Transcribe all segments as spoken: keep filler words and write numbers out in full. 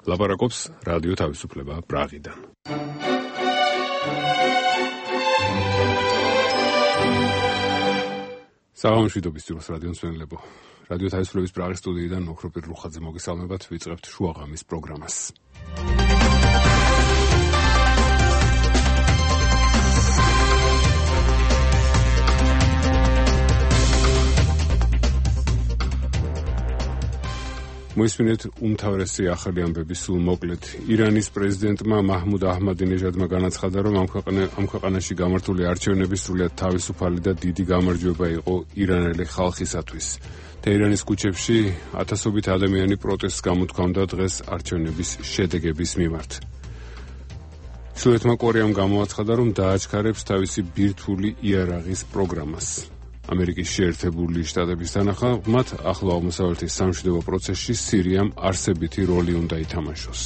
ლაპარაკობს რადიო თავისუფლება პრაღიდან. საღამოშვიდობის ძიროს რადიო მსმენელებო. რადიო თავისუფლების პრაღის სტუდიიდან ოქროპირ რუხაძე მოგესალმებათ, ვიწყებთ შუაღამის პროგრამას. მოისმინეთ უმთავრესი ახალი ამბები სულ მოკლედ. ირანის პრეზიდენტმა მაჰმუდ აჰმადინეჟადმა განაცხადა, რომ ამ ქვეყანაში გამართული არჩევნები სრულიად თავისუფალი და დიდი გამარჯვება იყო ირანელი ხალხისათვის. თეირანის ქუჩებში ათასობით ადამიანი პროტესტს გამოთქვამდა დღეს არჩევნების შედეგების მიმართ. ჩრდილოეთმა კორეამ გამოაცხადა, რომ დააჩქარებს თავისი ბირთვული იარაღის პროგრამას. ამერიკის შეერთებული შტატების თანახმად, ახლო აღმოსავლეთის სამშვიდობო პროცესში სირიამ არსებითი როლი უნდა ითამაშოს.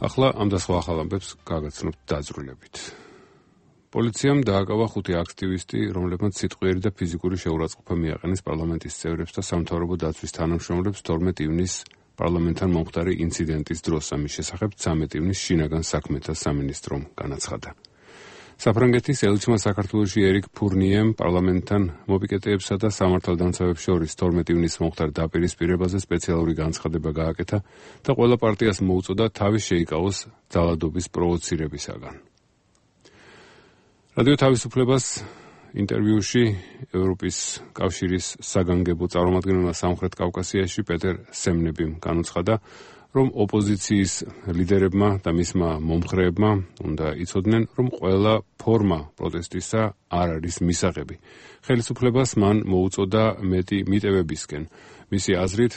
ახლა ამ და სხვა ახალ ამბებს გაგაცნობთ დაძრულებით. პოლიციამ დააკავა ხუთი აქტივისტი, რომლებმაც სიტყვიერი და ფიზიკური შეურაცხყოფა მიაყენეს პარლამენტის წევრებს და სამთავრობო დაცვის თანამშრომლებს თორმეტ ივნისს პარლამენტთან მომხდარი ინციდენტის დროს. ამის შესახებ ცამეტ ივნისს შინაგან საქმეთა სამინისტრომ განაცხადა. საფრანგეთის ელჩმა საქართველოში ერიკ ფურნიემ პარლამენტთან მოპიკეტეებსა და სამართალდამცავებს შორის თორმეტ ივნისს მომხდარ დაპირისპირებაზე სპეციალური განცხადება გააკეთა და ყველა პარტიას მოუწოდა თავის შეიკავოს ძალადობის პროვოცირებისაგან. რადიო თავისუფლებას ინტერვიუში ევროპის კავშირის საგანგებო წარმომადგენელმა სამხრეთ კავკასიაში პეტერ სემნებიმ განუცხადა, რომ ოპოზიციის ლიდერებმა და მისმა მომხრეებმა უნდა იცოდნენ, რომ ყველა ფორმა პროტესტისა არ არის მისაღები. ხელისუფლებას მან მოუწოდა მეტი მიტევებისკენ. მისი აზრით,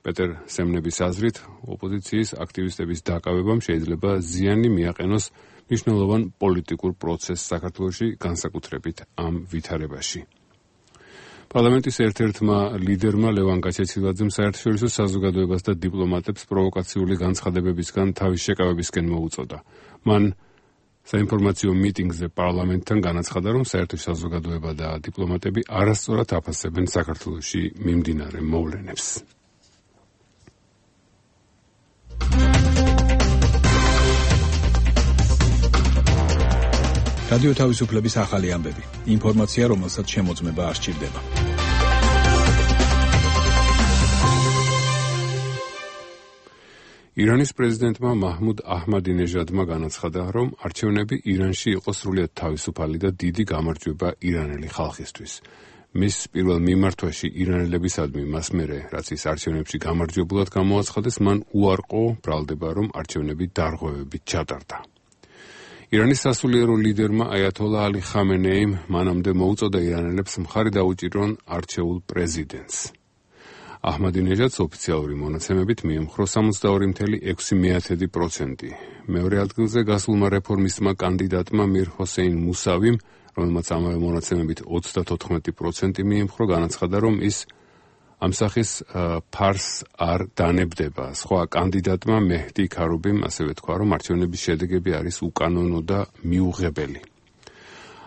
პეტერ სემნების აზრით, ოპოზიციის აქტივისტების დაკავებამ შეიძლება ზიანი მიაყენოს მნიშვნელოვან პოლიტიკურ პროცესს საქართველოში, განსაკუთრებით ამ ვითარებაში. პარლამენტის ერთ-ერთმა ლიდერმა ლევან გაჩეცილაძემ საერთაშორისო საზოგადოებას და დიპლომატებს პროვოკაციული განცხადებებისგან თავის შეკავებისკენ მოუწოდა. მან საინფორმაციო მიტინგზე პარლამენტთან განაცხადა, რომ საერთო საზოგადოება და დიპლომატები არასწორად აფასებენ საქართველოში მიმდინარე მოვლენებს. რადიო თავისუფლების ახალი ამბები. ინფორმაცია, რომელსაც შემოწმება არ სჭირდება. ირანის პრეზიდენტმა მაჰმუდ აჰმადინეჟადმა განაცხადა, რომ არჩევნები ირანში იყო სრულიად თავისუფალი და დიდი გამარჯვება ირანელი ხალხისთვის. მის პირველ მიმართვაში ირანელებისადმი მას მერე, რაც ის არჩევნებში გამარჯვებულად გამოაცხადეს, მან უარყო ბრალდება, რომ არჩევნები დარღვევებით ჩატარდა. ირანის სასულიერო ლიდერმა აიათოლა ალი ხამენეიმ მანამდე მოუწოდა ირანელებს მხარი დაუჭირონ არჩეულ პრეზიდენტს. აჰმადინეჟადს ოფიციალური მონაცემებით მიემხრო სამოცდაორი წამლ ექვსი პროცენტი. მეორე ადგილზე გასულმა რეფორმისტმა კანდიდატმა მիր ჰოსეინ მუსავიმ, რომელმაც ამავე მონაცემებით ოცდათოთხმეტი პროცენტი მიემხრო, განაცხადა, რომ ის ამ სახის ფარს არ დანებდება. სხვა კანდიდატმა მეჰდი ქარუბიმ ასევე თქვა, რომ არჩევნების შედეგები არის უკანონო და მიუღებელი.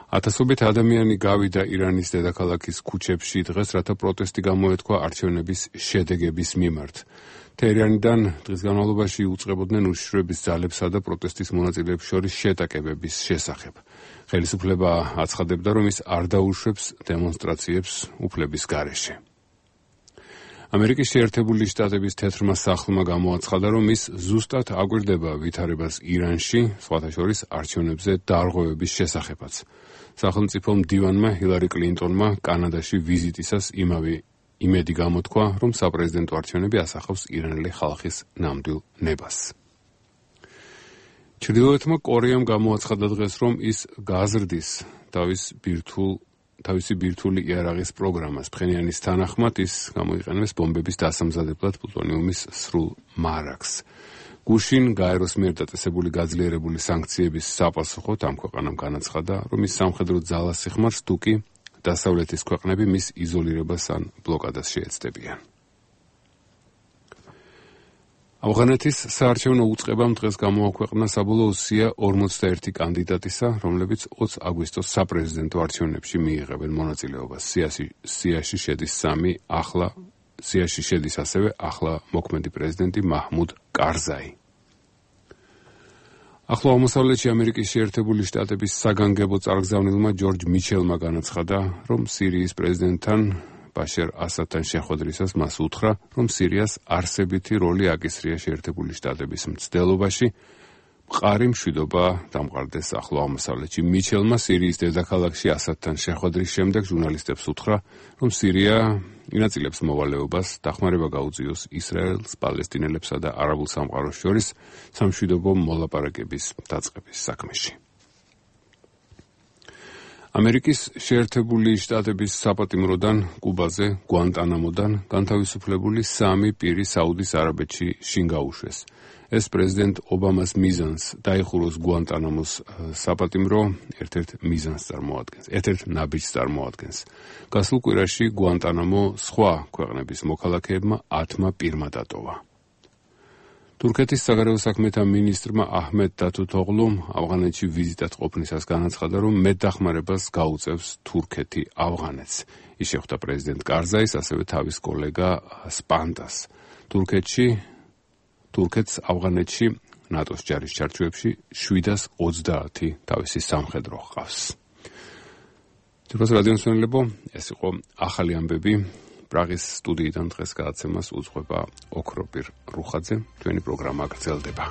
ათასობით ადამიანი გავიდა ირანის დედაქალაქის ქუჩებში დღეს, რათა პროტესტი გამოეთქვა არჩევნების შედეგების მიმართ. თეირანიდან დღის განმავლობაში უწყებოდნენ უშიშროების ძალებსა და პროტესტის მონაწილეებს შორის შეტაკებების შესახებ. ხელისუფლება აცხადებდა, რომ ის არ დაუშვებს დემონსტრაციებს უფლების გარეშე. ამერიკის შეერთებული შტატების თეთრმა სახლმა გამოაცხადა, რომ ის ზუსტად აკვირდება ვითარებას ირანში, სხვათა შორის არჩევნებზე დარღვევების შესახებაც. სახელმწიფო მდივანმა ჰილარი კლინტონმა კანადაში ვიზიტისას იმავე იმედი გამოთქვა, რომ საპრეზიდენტო არჩევნები ასახავს ირანელი ხალხის ნამდვილ ნებას. ჩრდილოეთმა კორეამ გამოაცხადა დღეს, რომ ის გაზრდის თავის ბირთვულ თავისი ბირთვული იარაღის პროგრამას. ფხენიანის თანახმად ის გამოიყენებს ბომბების დასამზადებლად პლუტონიუმის სრულ მარაგს. გუშინ გაეროს მიერ დაწესებული გაძლიერებული სანქციების საპასუხოდ ამ ქვეყანამ განაცხადა, რომ ის სამხედრო ძალას ეხმარს, თუკი დასავლეთის ქვეყნები მის იზოლირებას ან ბლოკადას შეეცდებიან. ავღანეთის საარჩევნო უწყებამ დღეს გამოაქვეყნა საბოლოო სია ორმოცდაერთი კანდიდატისა, რომლებიც ოცი აგვისტოს საპრეზიდენტო არჩევნებში მიიღებენ მონაწილეობას. სიაში სიაში შედის სამი ახლა სიაში შედის ასევე ახლა მოქმედი პრეზიდენტი მაჰმუდ კარზაი. ახლა აღმოსავლეთში ამერიკის შეერთებული შტატების საგანგებო წარგზავნილმა ჯორჯ მიჩელმა განაცხადა, რომ სირიის პრეზიდენტთან ბაშარ ასადთან შეხვედრისას მას უთხრა, რომ სირიას არსებითი როლი აკისრია შეერთებული შტატების მცდელობაში, მყარი მშვიდობა დამყარდეს ახლო აღმოსავლეთში. მიჩელმა სირიის დედაქალაქში ასადთან შეხვედრის შემდეგ ჟურნალისტებს უთხრა, რომ სირია ინაწილებს მოვალეობას დახმარება გაუწიოს ისრაელს, პალესტინელებსა და არაბულ სამყაროს შორის სამშვიდობო მოლაპარაკების დაწყების საქმეში. ამერიკის შეერთებული შტატების საპატიმროდან კუბაზე, გვანტანამოდან განთავისუფლებული სამი პირი საუდის არაბეთში შინ გაუშვეს. ეს პრეზიდენტ ობამას მიზანს დაიხუროს გვანტანამოს საპატიმრო ერთ-ერთ მიზანს წარმოადგენს, ერთ-ერთ ნაბიჯს წარმოადგენს. გასულ კვირაში გვანტანამო სხვა ქვეყნების მოქალაქეებმა ათმა პირმა დატოვა. თურქეთის საგარეო საქმეთა მინისტრმა აჰმედ დათუთოღლუმ ავღანეთში ვიზიტად ყოფნისას განაცხადა, რომ მეტდახმარებას გაუწევს თურქეთი ავღანეთს. ის შეხვდა პრეზიდენტ კარზაის, ასევე თავის კოლეგა სპანდას. თურქეთში თურქეთს ავღანეთში ნატოს ჯარის ჩარჩოებში შვიდას ოცდაათი თავისი სამხედრო ჰყავს. ძვირფას რადიო მსმენელებო, ეს იყო ახალი ამბები. პრაღის სტუდიიდან დღეს გადაცემას უძღვება ოქროპირ რუხაძე. ჩვენი პროგრამა გრძელდება.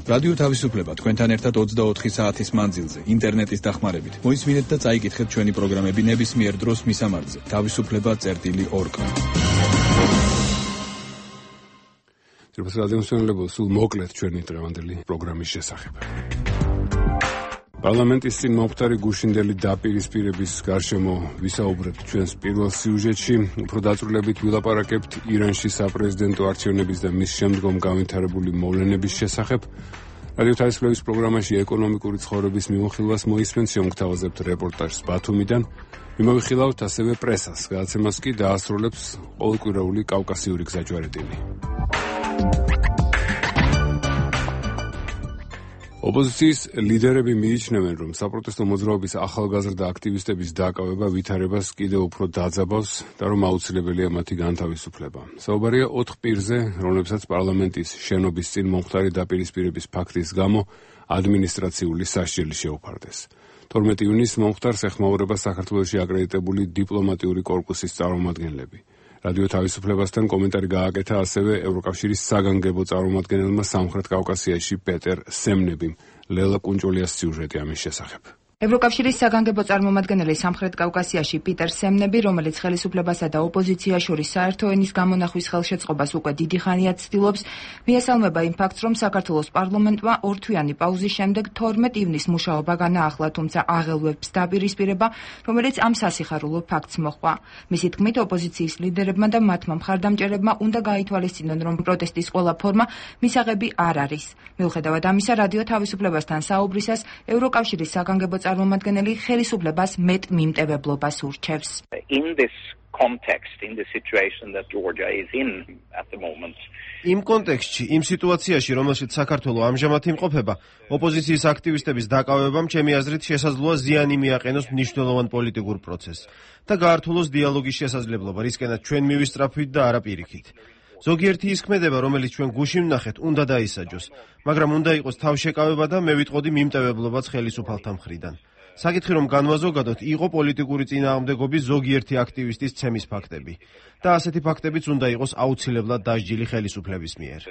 რადიო თავისუფლება თქვენთან ერთად ოცდაოთხი საათის მანძილზე ინტერნეტის დახმარებით. მოისმინეთ და წაიკითხეთ ჩვენი პროგრამები ნებისმიერ დროს მისამართზე თავისუფლება წერტილი ორ. ძვირფას რადიო მსმენელებო, სულ მოკლედ ჩვენი დღევანდელი პროგრამის შესახებ. პარლამენტის წინ მომხდარი გუშინდელი დაპირისპირების გარშემო ვისაუბრებთ ჩვენს პირველ სიუჟეტში. უფრო დაწვრილებით ვილაპარაკებთ ირანში საპრეზიდენტო არჩევნების და მის შემდგომ განვითარებული მოვლენების შესახებ. რადიო თავისუფლების პროგრამაში ეკონომიკური ცხოვრების მიმოხილვას მოისმენთ, შემოგთავაზებთ რეპორტაჟს ბათუმიდან. მიმოვიხილავთ ასევე პრესას. გადაცემას კი დაასრულებს ყოველკვირეული კავკასიური გზაჯვარედინი. ოპოზიციის ლიდერები მიიჩნევენ, რომ საპროტესტო მოძრაობის ახალგაზრდა აქტივისტების დაკავება ვითარებას კიდევ უფრო დაძაბავს და რომ აუცილებელია მათი განთავისუფლება. საუბარია ოთხ პირზე, რომლებსაც პარლამენტის შენობის წინ მომხდარი დაპირისპირების ფაქტის გამო ადმინისტრაციული სასჯელი შეუფარდეს. თორმეტი ივნისს მომხდარს ეხმაურება საქართველოში აკრედიტებული დიპლომატიური კორპუსის წარმომადგენლები. რადიო თავისუფლებასთან კომენტარი გააკეთა ასევე ევროკავშირის საგანგებო წარმომადგენელმა სამხრეთ კავკასიაში პეტერ სემნებიმ. ლელა კუნჭოლიას სიუჟეტი ამის შესახებ. ევროკავშირის საგანგებო წარმომადგენელი სამხრეთ კავკასიაში პიტერ სემნები, რომელიც ხელისუფლებასა და ოპოზიციას შორის საერთო ენის გამონახვის ხელშეწყობას უკვე დიდი ხანია ცდილობს, მიესალმება იმ ფაქტს, რომ საქართველოს პარლამენტმა ორთვიანი პაუზის შემდეგ თორმეტი ივნისს მუშაობა განაახლა, თუმცა აღელვებს დაპირისპირება, რომელიც ამ სასიხარულო ფაქტს მოჰყვა. მისი თქმით, ოპოზიციის ლიდერებმა და მათმა მხარდამჭერებმა უნდა გაითვალისწინონ, რომ პროტესტის ყველა ფორმა მისაღები არ არის. მიუხედავად ამისა, რადიო თავისუფლებასთან საუბრისას ევროკავშირის საგანგებო წარმომადგენელი ხელისუფლებას მეტ მიმტევებლობას ურჩევს. In this context, in the situation that Georgia is in at the moment. იმ კონტექსტში, იმ სიტუაციაში, რომელშიც საქართველო ამჟამად იმყოფება, ოპოზიციის აქტივისტების დაკავებამ ჩემი აზრით შესაძლოა ზიანი მიაყენოს მნიშვნელოვან პოლიტიკურ პროცესს და გაართულოს დიალოგის შესაძლებლობა, რისკენაც ჩვენ მივისწრაფვით და არა პირიქით. ზოგიერთი ის ქმედება, რომელიც ჩვენ გუშინ ვნახეთ, უნდა დაისაჯოს, მაგრამ უნდა იყოს თავშეკავება და მე ვიტყოდი მიმტევებლობაც ხელისუფალთა მხრიდან. საკითხი რომ განვაზოგადოთ, იყო პოლიტიკური წინააღმდეგობის ზოგიერთი აქტივისტის ცემის ფაქტები და ასეთი ფაქტებიც უნდა იყოს აუცილებლად დასჯილი ხელისუფლების მიერ.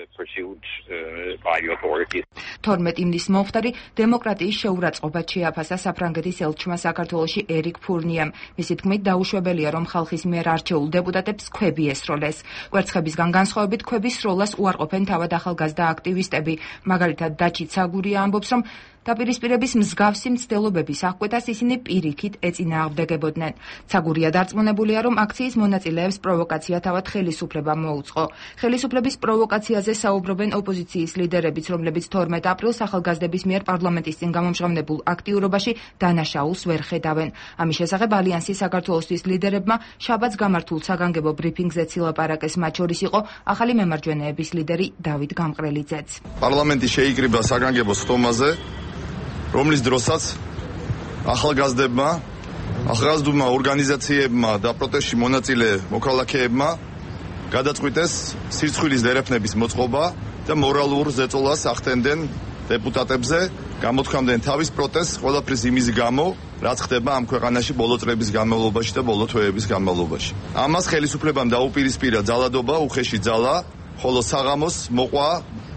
თორმეტი ივნისს მომხდარი დემოკრატიის შეურაცხყოფად შეაფასა საფრანგეთის ელჩმა საქართველოში ერიკ ფურნიემ. მისი თქმით, დაუშვებელია, რომ ხალხის მიერ არჩეულ დეპუტატებს ქვები ესროლეს. კვერცხებისგან განსხვავებით, ქვების სროლას უარყოფენ თავად ახალგაზრდა აქტივისტები. მაგალითად, დაჩი ცაგურია ამბობს, რომ დაპირისპირების მსგავსი მცდელობების აღკვეთას ისინი პირიქით ეწინააღმდეგებოდნენ. ცაგურია დარწმუნებულია, რომ აქციის მონაწილეებს პროვოკაცია პროვოკაცია თავად ხელისუფლებამ მოუწყო. ხელისუფლების პროვოკაციაზე საუბრობენ ოპოზიციის ლიდერებიც, რომლებიც თორმეტ აპრილს ახალგაზრდების მიერ პარლამენტის წინ გამომჟღავნებულ აქტიურობაში დანაშაულს ვერ ხედავენ. ამის შესახებ ალიანსის საქართველოსთვის ლიდერებმა შაბათს გამართულ საგანგებო ბრიფინგზეც ილაპარაკეს, მათ შორის იყო ახალი მემარჯვენეების ლიდერი დავით გამყრელიძეც. პარლამენტი შეიკრიბა საგანგებო სტომაზე, რომლის დროსაც ახალგაზრდებმა, ახალგაზრდულმა ორგანიზაციებმა და პროტესტში მონაწილე მოქალაქეებმა გადაწყვიტეს სირცხვილის დერეფნების მოწყობა და მორალურ ზეწოლას ახდენდნენ დეპუტატებზე, გამოთქვამდნენ თავის პროტესტს ყველაფრის იმის გამო, რაც ხდება ამ ქვეყანაში ბოლო წლების განმავლობაში და ბოლო თვეების განმავლობაში. ამას ხელისუფლებამ დაუპირისპირა ძალადობა, უხეში ძალა, ხოლო საღამოს მოყვა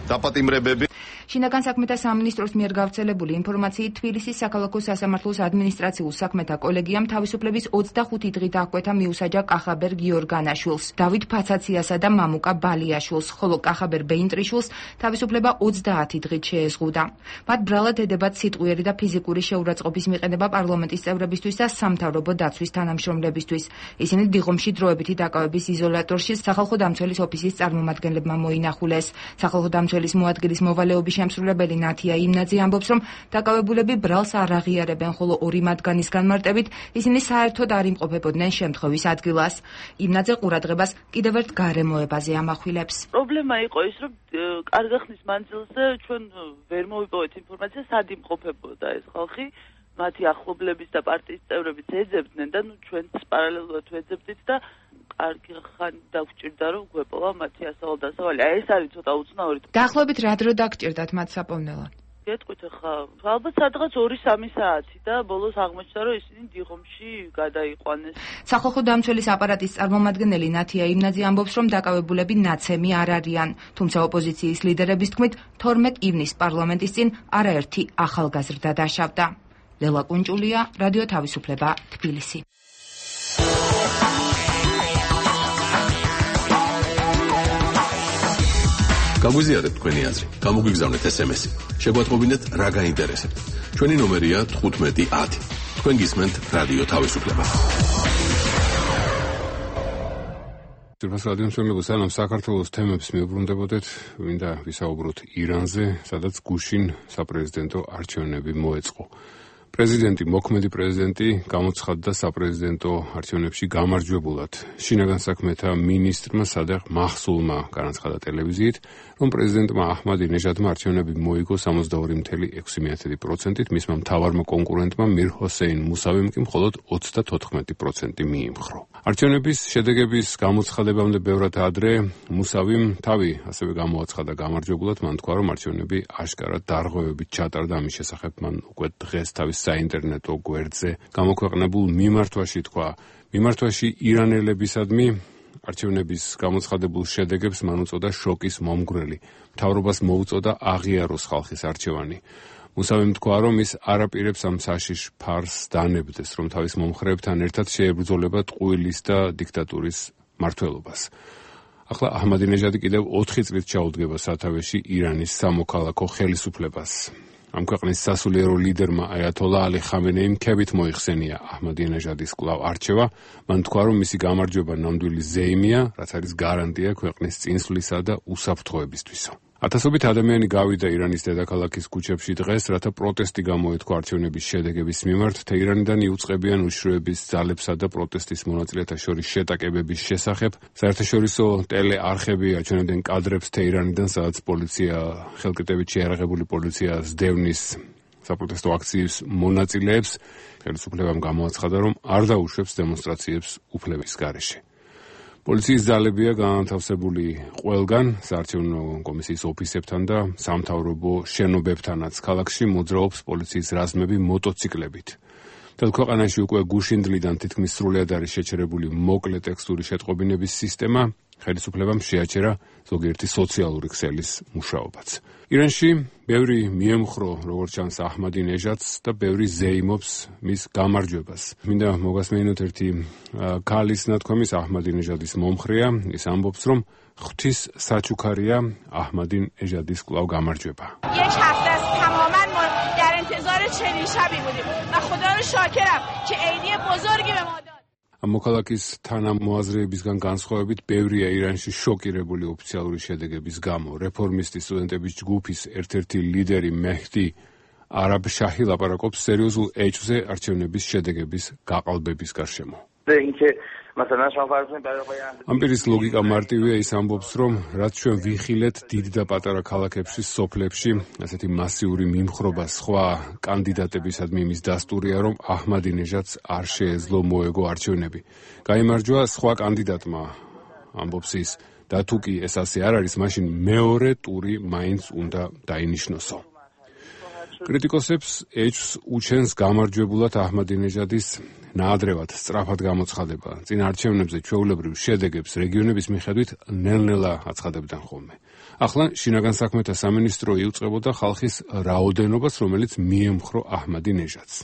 დაპატიმრებები. შინაგან საქმეთა სამინისტროს მიერ გავრცელებული ინფორმაციით, თბილისის საქალაქო სასამართლოს ადმინისტრაციულ საქმეთა კოლეგიამ თავისუფლების ოცდახუთი დღით აღკვეთა მიუსაჯა კახაბერ გიორგანაშვილს, დავით ფაცაციასა და მამუკა ბალიაშვილს, ხოლო კახაბერ ბეინტრიშვილს თავისუფლება ოცდაათი დღით შეეზღუდა. მათ ბრალად ედებათ სიტყვიერი და ფიზიკური შეურაცხყოფის მიყენება პარლამენტის წევრებისთვის და სამთავრობო დაცვის თანამშრომლებისთვის. ისინი დიღომში დროებითი დაკავების იზოლატორში სახალხო დამცველის ოფისის წარმომადგენლებმა მოინახულეს. სახალხო დამცველის მოადგილის მოვალეობის შემსრულებელი ნათია იმნაძე ამბობს, რომ დაკავებულები ბრალს არ აღიარებენ, ხოლო ორი მათგანის განმარტებით ისინი საერთოდ არ იმყოფებოდნენ შემთხვევის ადგილას. იმნაძე ყურადღებას კიდევ ერთ გარემოებაზე ამახვილებს. პრობლემა იყო ის, რომ კარგი ხნის მანძილზე ჩვენ ვერ მოვიპოვეთ ინფორმაცია, სად იმყოფებოდა ეს ხალხი. მათი ახლობლების და პარტიის წევრებიც ეძებდნენ და ნუ ჩვენც პარალელურად ვეძებდით და კარგი ხანი დაგჭირდა რომ გვეპოვა მათი ასავალ-დასავალი. აი ეს არის ცოტა უცნაური. დაახლოებით რა დრო დაგჭირდათ მათ საპოვნელად? გეტყვით ახლა, ალბათ სადღაც ორი სამი საათი და ბოლოს აღმოჩნდა რომ ისინი დიღომში გადაიყვანეს. სახალხო დამცველის აპარატის წარმომადგენელი ნათია იმნაძე ამბობს, რომ დაკავებულები ნაცემი არ არიან, თუმცა ოპოზიციის ლიდერების თქმით, თორმეტ ივნისს პარლამენტის წინ არაერთი ახალგაზრდა დაშავდა. ლელა კუნჭულია, რადიო თავისუფლება, თბილისი. გაგვიზიარეთ თქვენი აზრი, გამოგვიგზავნეთ ეს ემ ესი. შეგვატყობინეთ რა გაინტერესებთ. ჩვენი ნომერია თხუთმეტი ათი. თქვენ გისმენთ რადიო თავისუფლება. ძირფას რადიო მსმენელებო, სანამ საქართველოს თემებს მიუბრუნდებოდეთ, მინდა ვისაუბროთ ირანზე, სადაც გუშინ საპრეზიდენტო არჩევნები მოეწყო. პრეზიდენტი, მოქმედი პრეზიდენტი გამოცხადდა საპრეზიდენტო არჩევნებში გამარჯვებულად. შინაგან საქმეთა მინისტრმა სადაღ მაჰსულმა განაცხადა ტელევიზიით, რომ პრეზიდენტმა აჰმადინეჟადმა არჩევნები მოიგო სამოცდაორი მცდარი ექვსი პროცენტით, მისმა მთავარმა კონკურენტმა მիր ჰოსეინ მუსავიმ კი მხოლოდ ოცდათოთხმეტი პროცენტი მიიმხრო. არჩევნების შედეგების გამოცხადებამდე ბევრად ადრე მუსავიმ თავი ასევე გამოაცხადა გამარჯვებულად, მან თქვა, რომ არჩევნები აშკარად დარღვევებით ჩატარდა, ამის შესახებ მან უკვე დღეს თავის საინტერნეტო გვერდზე გამოქვეყნებულ მიმართვაში თქვა. მიმართვაში ირანელებისადმი არჩევნების გამოცხადებულ შედეგებს მან უწოდა შოკის მომგვრელი. მთავრობას მოუწოდა აღიაროს ხალხის არჩევანი. მუსავიმ თქვა, რომ ის არაპირებს ამ საშიშ ფარს დანებდეს, რომ თავის მომხრეებთან ერთად შეებრძოლება ტყუილის და დიქტატურის მმართველობას. ახლა აჰმადინეჟადი კიდევ ოთხი წლით ჩაუდგება სათავეში ირანის სამოქალაქო ხელისუფლებას. ამ ქვეყნის სასულიერო ლიდერმა აიათოლა ალი ხამენეიმ ქებით მოიხსენია აჰმადინეჟადის კვლავ არჩევა. მან თქვა, რომ მისი გამარჯვება ნამდვილი ზეიმია, რაც არის გარანტია ქვეყნის წინსვლისა და უსაფრთხოებისთვისო. ათასობით ადამიანი გავიდა ირანის დედაქალაქის ქუჩებში დღეს, რათა პროტესტი გამოეთქვა არჩევნების შედეგების მიმართ. თეირანიდან იუწყებიან უშროების ძალებსა და პროტესტის მონაწილეთა შორის შეტაკებების შესახებ. საერთაშორისო ტელეარხები აჩვენებდნენ კადრებს თეირანიდან, სადაც პოლიცია ხელკეტებით შეიარაღებული პოლიცია სდევნის საპროტესტო აქციის მონაწილეებს. ხელისუფლებამ გამოაცხადა, რომ არ დაუშვებს დემონსტრაციებს უფლების გარეშე. პოლიციის ძალებია განათავსებული ყველგან, საარჩევნო კომისიის ოფისებთან და სამთავრობო შენობებთანაც. ქალაქში მოძრაობს პოლიციის რაზმები მოტოციკლებით. მთელ ქვეყანაში უკვე გუშინდლიდან თითქმის სრულად არის შეჩერებული მოკლე ტექსტური შეტყობინების სისტემა. ხელისუფლებამ შეაჩერა ზოგიერთი სოციალური ქსელის მუშაობაც. ირანში ბევრი მიემხრო, როგორც ჩანს, აჰმადინეჟადს და ბევრი ზეიმობს მის გამარჯვებას. მინდა მოგასმენინოთ ერთი ქალის ნათქვამის, აჰმადინეჟადის მომხრეა. ის ამბობს, რომ ღვთის საჩუქარია აჰმადინეჟადის კვლავ გამარჯვება. یک هفته است تماما ما در انتظار چنین شبی بودیم و خدا رو شاکرم که عیدی بزرگی به ما داد. მოქალაქის თანამოაზრეებისგან განსხვავებით ბევრია ირანში შოკირებული ოფიციალური შედეგების გამო. რეფორმისტი სტუდენტების ჯგუფის ერთ-ერთი ლიდერი მეჰდი არაბ შაჰი ლაპარაკობს სერიოზულ ეჭვზე არჩევნების შედეგების გაყალბების გარშემო. ამ პირის ლოგიკა მარტივია, ის ამბობს, რომ რაც ჩვენ ვიხილეთ დიდ და პატარა ქალაქებში, სოფლებში, ასეთი მასიური მიმხრობა სხვა კანდიდატებისადმი იმის დასტურია, რომ აჰმადინეჟადს არ შეეძლო მოეგო არჩევნები. გაიმარჯვა სხვა კანდიდატმა, ამბობს ის, და თუ კი ეს ასე არ არის, მაშინ მეორე ტური მაინც უნდა დაინიშნოსო. კრიტიკოსებს ეჭვს უჩენს გამარჯვებულად აჰმადინეჟადის ნაადრევად სწრაფად გამოცხადება. წინ არჩევნებზე ჩვეულებრივ შედეგებს რეგიონების მიხედვით ნელ-ნელა აცხადებდნენ ხოლმე. ახლა შინაგან საქმეთა სამინისტრო იუწყებოდა ხალხის რაოდენობას, რომელიც მიემხრო აჰმადინეჟადს.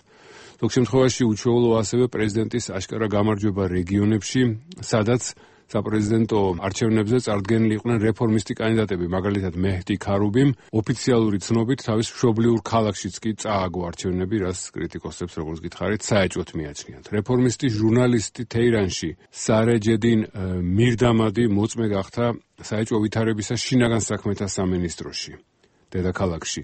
ზოგ შემთხვევაში უჩვეულო ასევე პრეზიდენტის აშკარა გამარჯვება რეგიონებში, სადაც საპრეზიდენტო არჩევნებზე წარდგენილი იყვნენ რეფორმისტი კანდიდატები, მაგალითად მეჰდი ქარუბიმ, ოფიციალური ცნობით თავის მშობლიურ ქალაქშიც კი წააგო არჩევნები, რაც კრიტიკოსებს, როგორც გითხარით, საეჭვოდ მიაჩნიათ. რეფორმისტი ჟურნალისტი თეირანში, სარეჯედინ მირდამადი მოწმე გახდა საეჭვო ვითარებისა შინაგან საქმეთა სამინისტროში, დედაქალაქში.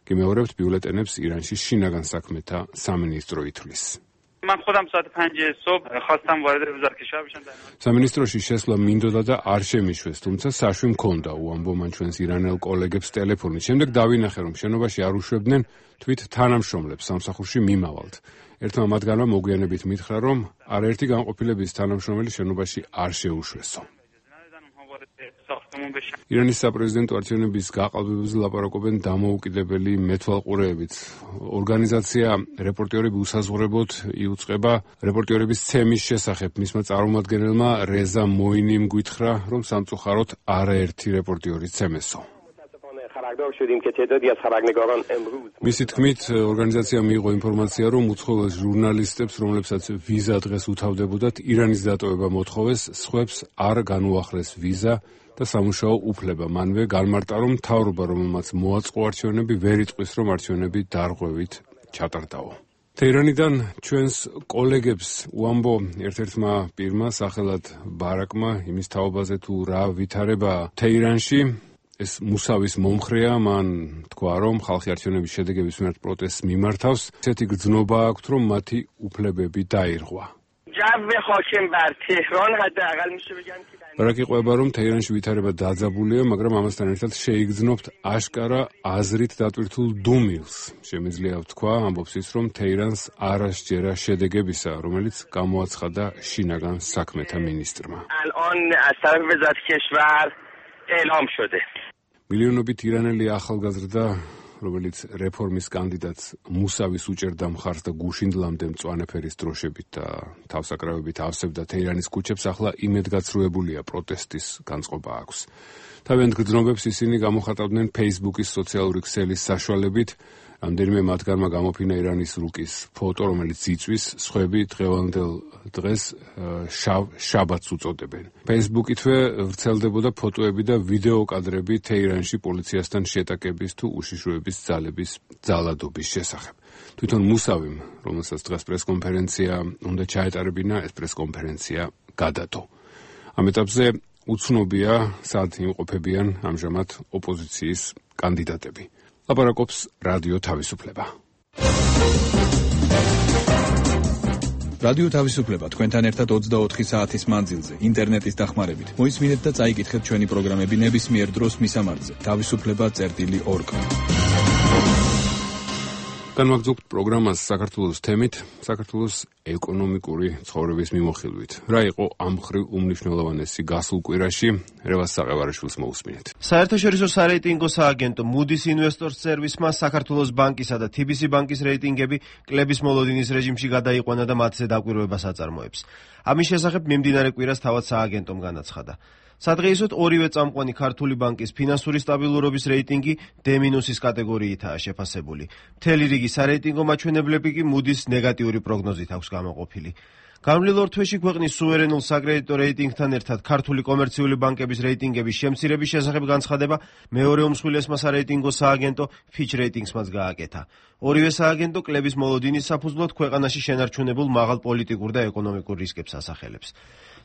გიმეორებთ ბიულეტენებს ირანში შინაგან საქმეთა სამინისტრო ითვლის. من خودم ساعت پنج صبح خواستم وارد وزارت کشور بشم. სამინისტროში შესვლა მინდოდა და არ შემიშვეს, თუმცა საშვი მქონდა, უამბო მან ჩვენს ირანელ კოლეგებს ტელეფონით. შემდეგ დავინახე, რომ შენობაში არ უშვებდნენ თვით თანამშრომლებს სამსახურში მიმავალთ. ერთმა მათგანმა მოგვიანებით მითხრა, რომ არაერთი განყოფილების თანამშრომელი შენობაში არ შეუშვესო. ირანის საპრეზიდენტო არჩევნების გაყალბებაზე ლაპარაკობენ დამოუკიდებელი მეთვალყურეებით. ორგანიზაცია რეპორტიორები უსაზღვრებლოდ იუწყება რეპორტიორების ცემის შესახებ. მისმა წარმომადგენელმა რეზა მოინიმ გითხრა, რომ სამწუხაროდ არაერთი რეპორტიორი ცემესო. მისი თქმით, ორგანიზაცია მიიღო ინფორმაცია, რომ უცხოელ ჟურნალისტებს, რომლებსაც ვიზა დღეს უთავდებოდათ, ირანის დატოვება მოთხოვეს, სხვებს არ განუახლეს ვიზა და სამუშაო უფლება. მანვე განმარტა, რომ მთავრობა, რომელმაც მოაწყო არჩევნები, ვერ იტყვის, რომ არჩევნები დარღვევით ჩატარდაო. თეირანიდან ჩვენს კოლეგებს უამბო ერთ-ერთმა პირმა, სახელად ბარაკმა, იმის თაობაზე თუ რა ვითარება თეირანში, ეს მუსავის მომხრეა, მან თქვა, რომ ხალხი არჩევნების შედეგების მიმართ პროტესტს მიმართავს. ესეთი გრძნობა აქვთ, რომ მათი უფლებები დაირღვა. ბარაკი ყვება, რომ თეირანში ვითარება დაძაბულია, მაგრამ ამასთან ერთად შეიგრძნობთ აშკარა აზრით დატვირთულ დუმილს. შემიძლია ვთქვა, ამბობს ის, რომ თეირანს არ ასჯერა შედეგებისა, რომელიც გამოაცხადა შინაგან საქმეთა მინისტრმა. اعلام شده. მილიონობით ირანელი ახალგაზრდა, რომელიც რეფორმის კანდიდატს მუსავის უჭერდა მხარს და გუშინდლამდე მწვანე ფერის დროშებით და თავსაკრავებით ავსებდა თეირანის ქუჩებს, ახლა იმედგაცრუებულია პროტესტის განწყობა აქვს. თავიანთ გრძნობებს ისინი გამოხატავდნენ Facebook-ის სოციალური ქსელის საშუალებით. რამდენიმე მათგანმა გამოფინა ირანის რუკის ფოტო, რომელიც იწვის, სხვები დღევანდელ დღეს შავ შაბათს უწოდებენ. Facebook-ითვე ვრცელდებოდა ფოტოები და ვიდეო კადრები თეირანში პოლიციასთან შეტაკების თუ უშიშროების ძალების ძალადობის შესახებ. თვითონ მუსავიმ, რომელსაც დღეს პრესკონფერენცია უნდა ჩაეტარებინა, ეს პრესკონფერენცია გადადო. ამ ეტაპზე უცნობია, სად იმყოფებიან ამჟამად ოპოზიციის კანდიდატები. ლაპარაკობს რადიო თავისუფლება. რადიო თავისუფლება თქვენთან ერთად ოცდაოთხი საათის მანძილზე, ინტერნეტის დახმარებით. მოისმინეთ და წაიკითხეთ ჩვენი პროგრამები ნებისმიერ დროს მისამართზე. თავისუფლება წერტილი ორგ. განვაგრძობთ პროგრამას საქართველოს თემით, საქართველოს ეკონომიკური ცხოვრების მიმოხილვით. რა იყო ამ მხრივ უმნიშვნელოვანესი გასულ კვირაში? რევას საყევარაშვილს მოусმინეთ. საერთაშორისო სარეიტინგო სააგენტო Moody's Investors Service-მა საქართველოს ბანკისა და T B C ბანკის რეიტინგები კლების მოლოდინის რეჟიმში გადაიყვანა და მათზე დაკვირვებას აწარმოებს. ამის შესახებ მიმდინარე კვირას თავად სააგენტომ განაცხადა. სადღეისოდ ორივე წამყვანი ქართული ბანკის ფინანსური სტაბილურობის რეიტინგი D- კატეგორიითაა შეფასებული. მთელი რიგი სარეიტინგო მაჩვენებლები კი Moody's ნეგატიური პროგნოზით აქვს გამოყოფილი. გამრავლილ ორ თვეში ქვეყნის სუვერენულ საკრედიტო რეიტინგთან ერთად ქართული კომერციული ბანკების რეიტინგების შემცირების შესახებ განცხადება მეორე უმსხვილესმა სარეიტინგო სააგენტო Fitch Ratings-მაც გააკეთა. ორივე სააგენტო კლების მოლოდინის საფუძვლად ქვეყანაში შენარჩუნებულ მაღალ პოლიტიკურ და ეკონომიკურ რისკებს ასახელებს.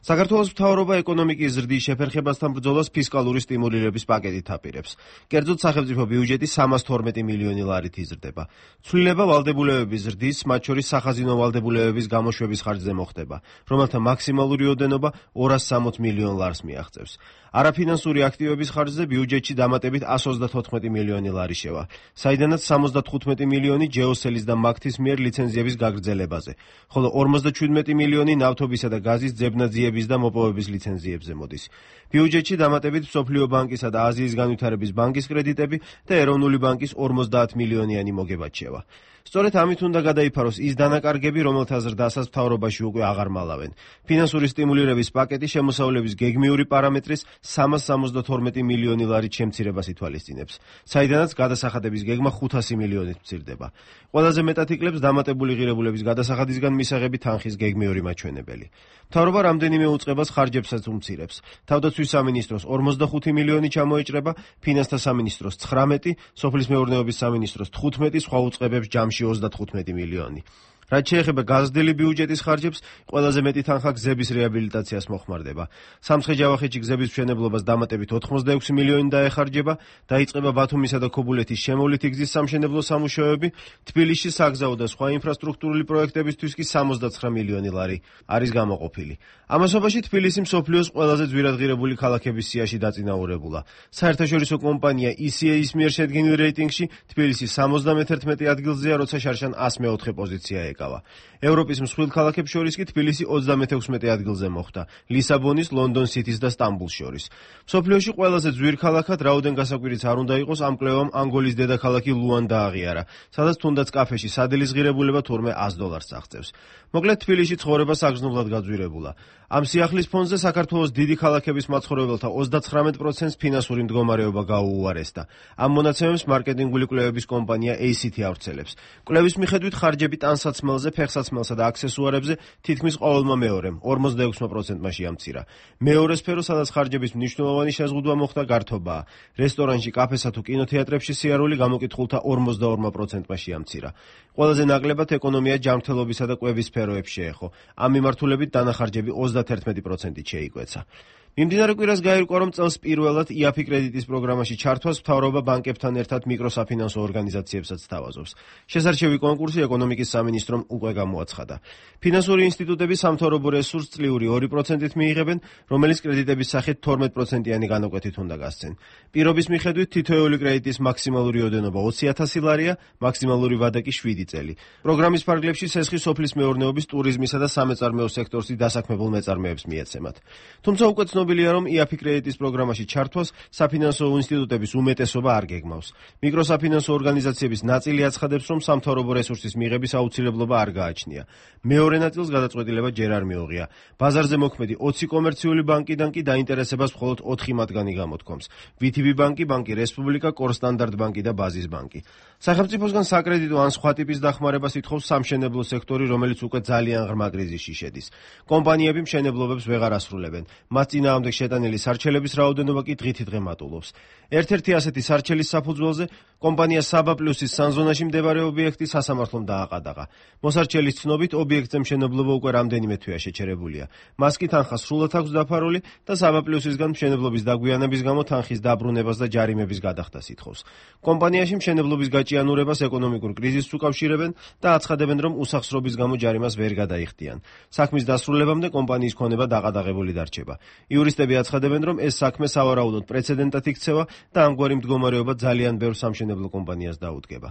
საქართველოს მთავრობა ეკონომიკის ზრდის შეფერხებასთან ბრძოლას ფისკალური სტიმულირების პაკეტით აპირებს. კერძოდ სახელმწიფო ბიუჯეტი სამას თორმეტი მილიონი ლარით იზრდება. ცვლილება ვალდებულებების ზრდის, მათ შორის სახაზინო ვალდებულებების გამოშვების ხარჯზე მოხდება, რომელთა მაქსიმალური ოდენობა ორას სამოც მილიონ ლარს მიაღწევს. არაფინანსური აქტივების ხარჯზე ბიუჯეტში დამატებით ასს ოცდათოთხმეტი მილიონი ლარი შევა, საიდანაც სამოცდათხუთმეტი მილიონი ჯეოსელის და მაგთის მიერ ლიცენზიების გაგრძელებაზე, ხოლო ორმოცდაჩვიდმეტი მილიონი ნავთობისა და გაზის ძებნაძიების და მოპოვების ლიცენზიებზე მოდის. ბიუჯეტში დამატებით მსოფლიო ბანკისა და აზიის განვითარების ბანკის კრედიტები და ეროვნული ბანკის ორმოცდაათ მილიონიანი მოგება რჩევა. სწორედ ამით უნდა გადაიფაროს ის დანაკარგები, რომელთა ზრდასაც მთავრობაში უკვე აღარ მალავენ. ფინანსური სტიმულირების პაკეტი შემოსავლების გეგმიური პარამეტრის სამას სამოცდათორმეტი მილიონი ლარით შემცირებას ითვალისწინებს, საიდანაც გადასახადების გეგმა ხუთასი მილიონით მცირდება. ყველაზე მეტად იკლებს დამატებული ღირებულების გადასახადისგან მისაღები თანხის გეგმიური მაჩვენებელი. მთავრობა რამდენიმე უწყებას ხარჯებსაც უმცირებს. თავდაცვის სამინისტროს ორმოცდახუთი მილიონი ჩამოეჭრება, ფინანსთა სამინისტროს ცხრამეტი, სოფლის მეურნეობის სამინისტროს თხუთმეტი, სხვა უწყებებს ჯამში ოცდათხუთმეტი მილიონი. რაც შეეხება გაზრდილი ბიუჯეტის ხარჯებს, ყველაზე მეტი თანხა გზების რეაბილიტაციას მოხმარდება. სამცხე-ჯავახეთში გზების მშენებლობას დამატებით ოთხმოცდაექვსი მილიონი დაეხარჯება, დაიწყება ბათუმისა და ქობულეთის შემოვლითი გზის სამშენებლო სამუშაოები, თბილისში საგზაო და სხვა ინფრასტრუქტურული პროექტებისთვის კი სამოცდაცხრა მილიონი ლარი არის გამოყოფილი. ამასობაში თბილისი მსოფლიოს ყველაზე ძვირადღირებული ქალაქების სიაში დაწინაურებულა. საერთაშორისო კომპანია ი სი ეის მიერ შედგენილ რეიტინგში თბილისი სამოცდამეთერთმეტე ადგილზეა, როცა შარშან ას მეოთხე პოზიცია ეკავა. ევროპის მსხვილ ქალაქებს შორის კი თბილისი ოცდამეთექვსმეტე ადგილზე მოხვდა, ლისაბონის, ლონდონ სიტის და სტამბულს შორის. მსოფლიოში ყველაზე ძვირ ქალაქად რაოდენ გასაკვირიც არ უნდა იყოს ამ კვლევამ ანგოლის დედაქალაქი ლუანდა აღიარა, სადაც თუნდაც კაფეში სადილის ღირებულება თურმე ას დოლარს აღწევს. მოკლედ თბილისში ცხოვრება საგრძნობლად გაძვირებულა. ამ სიახლის ფონზე საქართველოს დიდი ქალაქების მაცხოვრებელთა ოცდაცხრამეტ პროცენტს ფინანსური მდგომარეობა გაუუარესდა. ამ მონაცემებს მარკეტინგული კვლევების კომპანია ეი სი თი ავრცელებს. კვლევის მიხედვით ხარჯები ტანსაცმელზე, ფეხსაცმელსა და აქსესუარებზე თითქმის ყოველმა მეორემ ორმოცდაექვსი პროცენტმა შეამცირა. მეორე სფერო, სადაც ხარჯების მნიშვნელოვანი შეზღუდვა მოხდა, გართობაა. რესტორანში, კაფესა თუ კინოთეატრებში სიარული გამოკითხულთა ორმოცდაორ პროცენტმა შეამცირა. ყველაზე ნაკლებად ეკონომია, ჯანმრთელობისა და კვების სფეროებს შეეხო. ამ მიმართულებით დანახარჯები ოცდათერთმეტი პროცენტით შეიკვეცა. მიმდინარე კვირას გაირკვა, რომ წელს პირველად ი აფ ი კრედიტის პროგრამაში ჩართვას მთავრობა ბანკებთან ერთად მიკროსაფინანსო ორგანიზაციებსაც სთავაზობს. შესარჩევი კონკურსი ეკონომიკის სამინისტრომ უკვე გამოაცხადა. ფინანსური ინსტიტუტები სამთავრობო რესურსს წლიური ორი პროცენტით მიიღებენ, რომელიც კრედიტების სახით თორმეტ პროცენტიანი განაკვეთით უნდა გასცენ. პირობის მიხედვით თითოეული კრედიტის მაქსიმალური ოდენობა ოცი ათასი ლარია, მაქსიმალური ვადა კი შვიდი წელი. პროგრამის ფარგლებში სესხი სოფლის მეურნეობის, ტურიზმისა და სამეწარმეო სექტორში დასაქმებულ მეწარმეებს მიეცემათ. თუმცა უკვე ცნობილია, რომ ი აფ ი კრედიტის პროგრამაში ჩართვას საფინანსო ინსტიტუტების უმეტესობა არ გეგმავს. მიკროსაფინანსო ორგანიზაციების ნაწილი აცხადებს, რომ სამთავრობო რესურსის მიღების აუცილებლობა არ გააჩნია. მეორე ნაწილს გადაწყვეტილება ჯერ არ მიუღია. ბაზარზე მოქმედი ოცი კომერციული ბანკიდან კი დაინტერესებას მხოლოდ ოთხი მათგანი გამოთქვამს: ვი თი ბი ბანკი, ბანკი რესპუბლიკა, კორსტანდარტ ბანკი და ბაზის ბანკი. სახელმწიფოსგან საკრედიტო ან სხვა ტიპის დახმარებას ითხოვს სამშენებლო სექტორი, რომელიც უკვე ძალიან ღრმა კრიზისში შედის. კომპანიები მშენებლობებს ვეღარ ასრულებენ. მათ წინააღმდეგ შეტანილი სარჩელების რაოდენობა კი დღითიდღე მატულობს. ერთ-ერთი ასეთი სარჩელის საფუძველზე კომპანია საბა პლუსის სანზონაში მდებარე ობიექტი სასამართლომ დააყადაღა. მოსარჩელის ცნობით ობიექტზე მშენებლობა უკვე რამდენიმე თვეა შეჩერებულია. მას კი თანხა სრულად აქვს დაფარული და საბა პლუსისგან მშენებლობის დაგვიანების გამო თანხის დაბრუნებას და ჯარიმების გადახდას ითხოვს. კომპანიაში მშენებლობის გაჭიანურებას ეკონომიკურ კრიზისს უკავშირებენ და აცხადებენ, რომ უსახსრობის გამო ჯარიმას ვერ გადაიხდიან. საქმის დასრულებამდე კომპანიის ქონება დაყადაღებული დარჩება. იურისტები აცხადებენ, რომ ეს საქმე სავარაუდოდ პრეცედენტად იქცევა და ამგვარი მდგომარეობა ძალიან ბევრ სამშენებლო კომპანიას დაუდგება.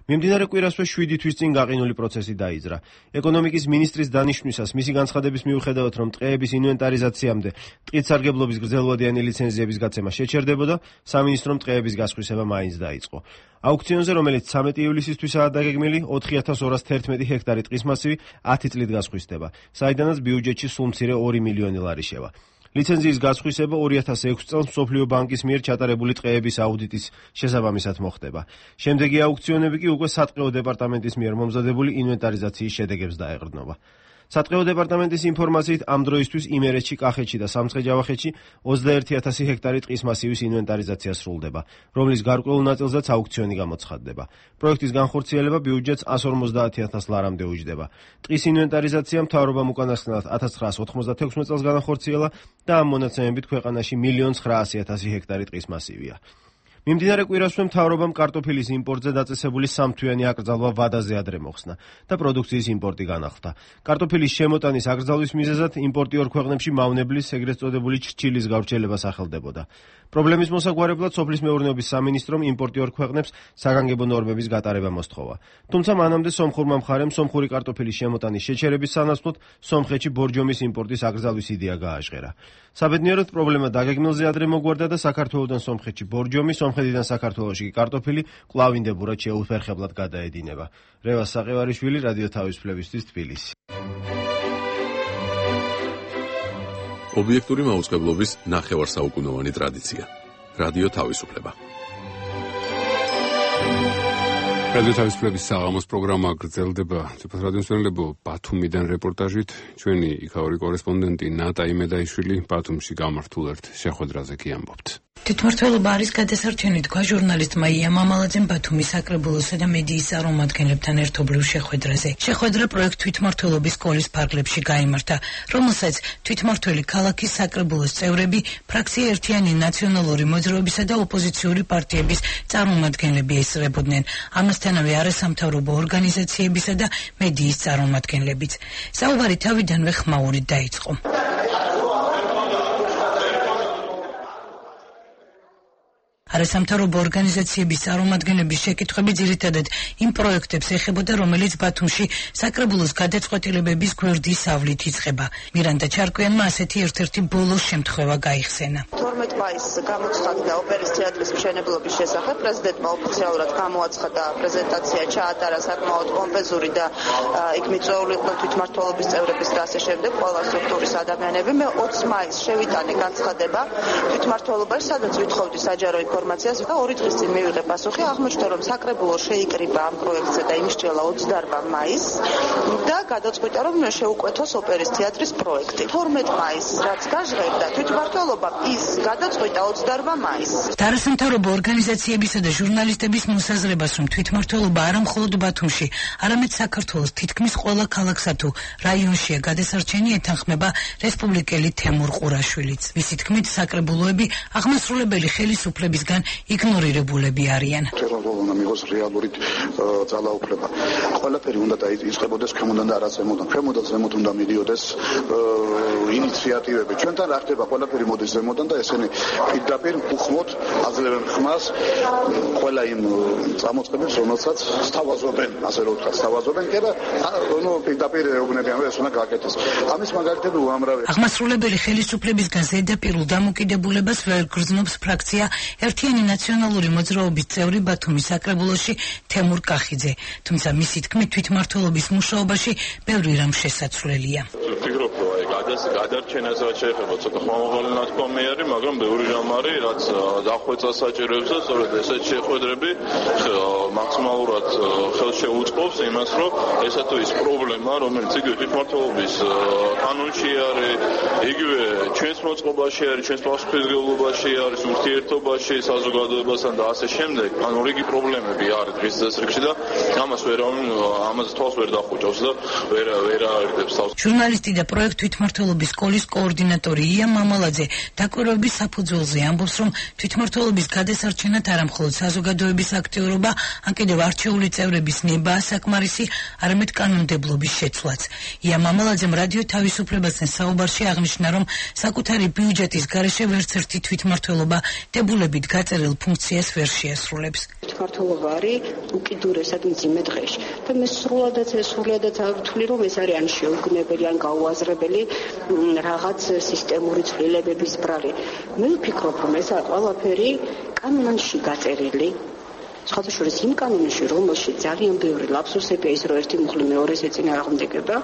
მიმდინარე კვირასვე შვიდი თვის წინ გაყინული პროცესი დაიძრა. ეკონომიკის მინისტრის დანიშვნისას მისი განცხადების მიუხედავად, რომ ტყეების ინვენტარიზაციამდე ტყით სარგებლობის გრძელვადიანი ლიცენზიების გაცემა შეჩერდებოდა, სამინისტრომ ტყეების გასხვისება მაინც დაიწყო. აუქციონზე, რომელიც ცამეტი ივლისისთვისაა დაგეგმილი, ოთხი ათას ორას თერთმეტი ჰექტარი ტყის მასივი ათი წლით გასხვისდება, საიდანაც ბიუჯეტში სულ მცირე ორი მილიონი ლარი შევა. ლიცენზიის გასხვისება ორი ათას ექვსი წელს მსოფლიო ბანკის მიერ ჩატარებული ტყეების აუდიტის შესაბამისად მოხდება. შემდეგი აუქციონები კი უკვე სატყეო დეპარტამენტის მიერ მომზადებული ინვენტარიზაციის შედეგებს დაეყრდნობა. სატყეო დეპარტამენტის ინფორმაციით ამ დროისთვის იმერეთში, კახეთში და სამცხე-ჯავახეთში ოცდაერთი ათასი ჰექტარი ტყის მასივის ინვენტარიზაცია სრულდება, რომლის გარკვეულ ნაწილზეც აუქციონი გამოცხადდება. პროექტის განხორციელება ბიუჯეტს εκατს ორმოცდაათი ათას ლარამდე უჯდება. ტყის ინვენტარიზაცია მთავრობამ უკანასკნელად ათას ცხრაას ოთხმოცდათექვსმეტ წელს განახორციელა და ამ მონაცემებით ქვეყანაში მილიონ ცხრაასი ათასი ჰექტარი ტყის მასივია. მიმდინარე კვირასვე მთავრობამ კარტოფილის იმპორტზე დაწესებული სამთვიანი აკრძალვა ვადაზე ადრე მოხსნა და პროდუქციის იმპორტი განახლდა. კარტოფილის შემოტანის აკრძალვის მიზეზად იმპორტიორ ქვეყნებში მავნებლის ეგრეთ წოდებული ჩრჩილის გავრცელება სახელდებოდა. პრობლემის მოსაგვარებლად სოფლის მეურნეობის სამინისტრომ იმპორტიორ ქვეყნებს საგანგებო ნორმების გატარება მოსთხოვა. თუმცა მანამდე სომხურმა მხარემ სომხური კარტოფილის შემოტანის შეჩერების სანაცვლოდ სომხეთში ბორჯომის იმპორტის აკრძალვის იდეა გააჟღერა. საბედნიეროდ პრობლემა დაგეგმილზე ადრე მოგვარდა და საქართველოდან სომხეთში ბორჯომი, სომხეთიდან საქართველოში კი კარტოფილი კვლავინდებურად შეუფერხებლად გადაედინება. რევაზ საყევარიშვილი, რადიო თავისუფლებისთვის, თბილისი. ობიექტური მაუწყებლობის ნახევარსაუკუნოვანი ტრადიცია. რადიო თავისუფლება. რადიო თავისუფლების საღამოს პროგრამა გრძელდება. ციფრ რადიომსმენელებო, ბათუმიდან რეპორტაჟით ჩვენი იქაური კორესპონდენტი ნატა იმედაიშვილი ბათუმში გამართულ ერთ შეხვედრაზე კი ამბობთ. თვითმმართველობა არის გადასარჩენი, თქვა ჟურნალისტმა ია მამალაძემ ბათუმის საკრებულოსა და მედიის წარმომადგენლებთან ერთობლივ შეხვედრაზე. შეხვედრა პროექტ თვითმმართველობის სკოლის ფარგლებში გაიმართა, რომელსაც თვითმმართველი ქალაქის საკრებულოს წევრები, ფრაქცია ერთიანი ნაციონალური მოძრაობისა და ოპოზიციური პარტიების წარმომადგენლები ესწრებოდნენ. ამასთანავე არასამთავრობო ორგანიზაციებისა და მედიის წარმომადგენლებიც. საუბარი თავიდანვე ხმაურით დაიწყო. არასამთავრობო ორგანიზაციების წარმომადგენლების შეკითხვები ძირითადად იმ პროექტებს ეხებოდა, რომელიც ბათუმში საკრებულოს გადაწყვეტილებების გვერდის ავლით იწყება. მირანდა ჩარკვიანმა ასეთი ერთ-ერთი ბოლოს შემთხვევა გაიხსენა. თორმეტ მაისს გამოცხადდა ოპერის თეატრის მშენებლობის შესახებ, პრეზიდენტმა ოფიციალურად გამოაცხადა, პრეზენტაცია ჩაატარა საკმაოდ პომპეზური და იქ მიწვეული იყვნენ თვითმმართველობის წევრების და ასე შემდეგ, ყველა სტრუქტურის ადამიანები. მე ოცი მაისს შევიტანე განცხადება თვითმმართველობაში, სადაც ვითხოვდი საჯარო ინფორმაციას და ორი დღის წინ მივიღე პასუხი, აღმოჩნდა, რომ საკრებულო შეიკრიბა ამ პროექტზე და იმსჯელა ოცდაარბა მაისს და გადაწყვიტა, რომ შეუკვეთოს ოპერის თეატრის პროექტი. თორმეტ მაისს რაც გაჟღერდა, თვითმმართველობა ის გადაწყვიტა ოცდაარბა მაისს. არასამთავრობო ორგანიზაციებისა და ჟურნალისტების მოსაზრებას, რომ თვითმმართველობა არა მხოლოდ ბათუმში, არამედ საქართველოს თითქმის ყველა ქალაქსა თუ რაიონშია გადასარჩენი, ეთანხმება რესპუბლიკელი თემურ ყურაშვილიც. მისი თქმით, საკრებულოები აღმასრულებელი ხელისუფლებისგან იგნორირებულები არიან. თვითმმართველობა მიიღოს რეალური ძალაუფლება. ყველაფერი უნდა დაიწყებოდეს ქვემოდან და არა ზემოდან. ქვემოდან ზემოთ უნდა მიდიოდეს ინიციატივები. ჩვენთან რა ხდება, ყველაფერი მოდის ზემოდან და ესენი პირდაპირ უხმოდ აძლევენ ხმას ყველა იმ წამოწყებებს, რომელსაც სთავაზობენ, ასე რომ ვთქვათ, სთავაზობენ კი და ნუ პირდაპირ ეუბნებიან, რომ ეს უნდა გააკეთეს. ამის მაგალითები უამრავია. აღმასრულებელი ხელისუფლებისგან ზედაპირულ დამოკიდებულებას ვერ გრძნობს ფრაქცია ერთიანი ნაციონალური მოძრაობის წევრი ბათუმის საკრებულოში თემურ კახიძე, თუმცა მისი თქმით თვითმმართველობის მუშაობაში ბევრი რამ შესაძლებელია. ვფიქრობ, რომ აი გადარჩენას რაც შეეხება ცოტა ხმამაღალი ნათქვამი არის, მაგრამ ბევრი რამ არის, რაც დახვეწას საჭიროებს და სწორედ ესეთ შეხვედრები მაქსიმალურად ხელს შეუწყობს იმას, რომ ესა თუ ის პრობლემა, რომელიც იგივე თვითმმართველობის კანონში არის, იგივე ჩვენს მოწყობაში არის, ჩვენს პასუხისმგებლობაში არის, ურთიერთობაში, საზოგადოებასთან და ასე შემდეგ, ანუ რიგი პრობლემები არის დღის წესრიგში და ამას ვერ ამას თვალს ვერ დახუჭავს და ვერ ვერ აერთებს თავს. ჟურნალისტი და პროექტ თვითმმართველობის სკოლის კოორდინატორი ია მამალაძე დაკვირვების საფუძველზე ამბობს, რომ თვითმმართველობის გადასარჩენად არა მხოლოდ საზოგადოების აქტიურობა, ან კიდევ არჩეული წევრების ნებაა საკმარისი, არამედ კანონმდებლობის შეცვლაც. ია მამალაძემ რადიო თავისუფლებასთან საუბარში აღნიშნა, რომ საკუთარი ბიუჯეტის გარეშე ვერც ერთი თვითმმართველობა დებულებით გაწერილ ფუნქციას ვერ შეასრულებს. თვითმმართველობა არის უკიდურესად მძიმე დღეში და მე სრულადაც სრულადაც ვთვლი, რომ ეს არის ან შეუგნებელი, ან გაუაზრებელი რაღაც სისტემური ცვლილებების ბრალი. მე ვფიქრობ, რომ ეს ყველაფერი კანონში გაწერილი სხვათა შორის იმ კანონში, რომელშიც ძალიან ბევრი ლაფსუსებია, ის რომ ერთი მუხლი მეორეს ეწინააღმდეგება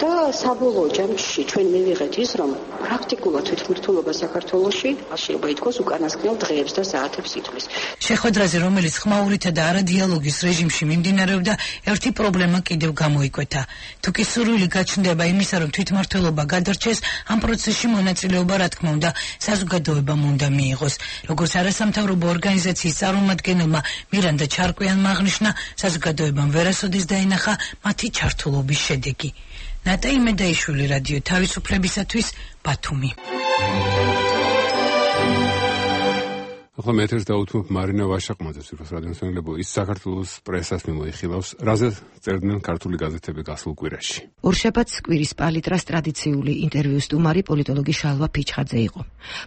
და საბოლოო ჯამში ჩვენ მივიღეთ ის, რომ პრაქტიკულად თვითმმართველობა საქართველოში შეიძლება ითქვას უკანასკნელ დღეებს და საათებს ითვლის. შეხვედრაზე, რომელიც ხმაურითა და არადიალოგის რეჟიმში მიმდინარეობდა, ერთი პრობლემა კიდევ გამოიკვეთა. თუ კი სურვილი გაჩნდება იმისა, რომ თვითმმართველობა გადარჩეს, ამ პროცესში მონაწილეობა, რა თქმა უნდა, საზოგადოებამ უნდა მიიღოს. როგორც არასამთავრობო ორგანიზაციის წარმომადგენელმა მირანდა ჩარკვიანმა აღნიშნა, საზოგადოებამ ვერასოდეს დაინახა მათი ჩართულობის შედეგი. ნატა იმედაიშვილი, რადიო თავისუფლებისათვის, ბათუმი. ახლა მე ეთერს დავუთმობ მარინა ვაშაყმაძეს, ვიროს რადიომსმენელებო, ის საქართველოს პრესას მიმოიხილავს, რაზე წერდნენ ქართული გაზეთები გასულ კვირაში. ორშაბათს კვირის პალიტრას ტრადიციული ინტერვიუს სტუმარი პოლიტოლოგი შალვა ფიჩხაძე იყო.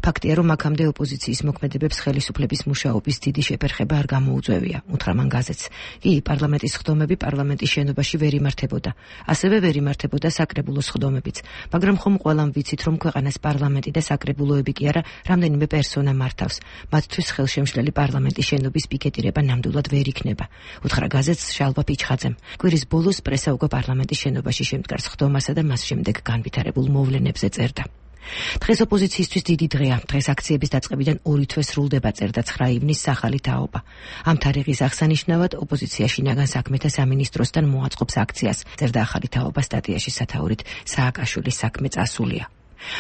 ფაქტია, რომ აქამდე ოპოზიციის მოქმედებებს ხელისუფლების მუშაობის დიდი შეფერხება არ გამოუწევია, უთხრა მან გაზეთს. კი, პარლამენტის ხდომები პარლამენტის შენობაში ვერ იმართებოდა. ასევე ვერ იმართებოდა საკრებულოს ხდომებიც, მაგრამ ხომ ყველამ ვიცით, რომ ქვეყანას პარლამენტი და საკრებულოები კი არა, რამდენიმე პერსონა მართავს. მათთვის ხელშემშლელი პარლამენტის შენობის პიკეტირება ნამდვილად ვერ იქნება, უთხრა გაზეთს შალვა ფიჩხაძემ. კვირის ბოლოს პრესა უკვე პარლამენტის შენობაში შემდგარს ხდომასა და მას შემდეგ განვითარებულ მოვლენებზე წერდა. დღეს ოპოზიციისთვის დიდი დღეა. დღეს აქციების დაწყებიდან ორი თვე სრულდება, წერდა ცხრა ივნის სახალი თაობა. ამ თარიღის აღსანიშნავად ოპოზიცია შინაგან საქმეთა სამინისტროსთან მოაწყობს აქციას, წერდა ახალი თაობა სტატიაში სათაურით სააკაშვილის საქმე წასულია.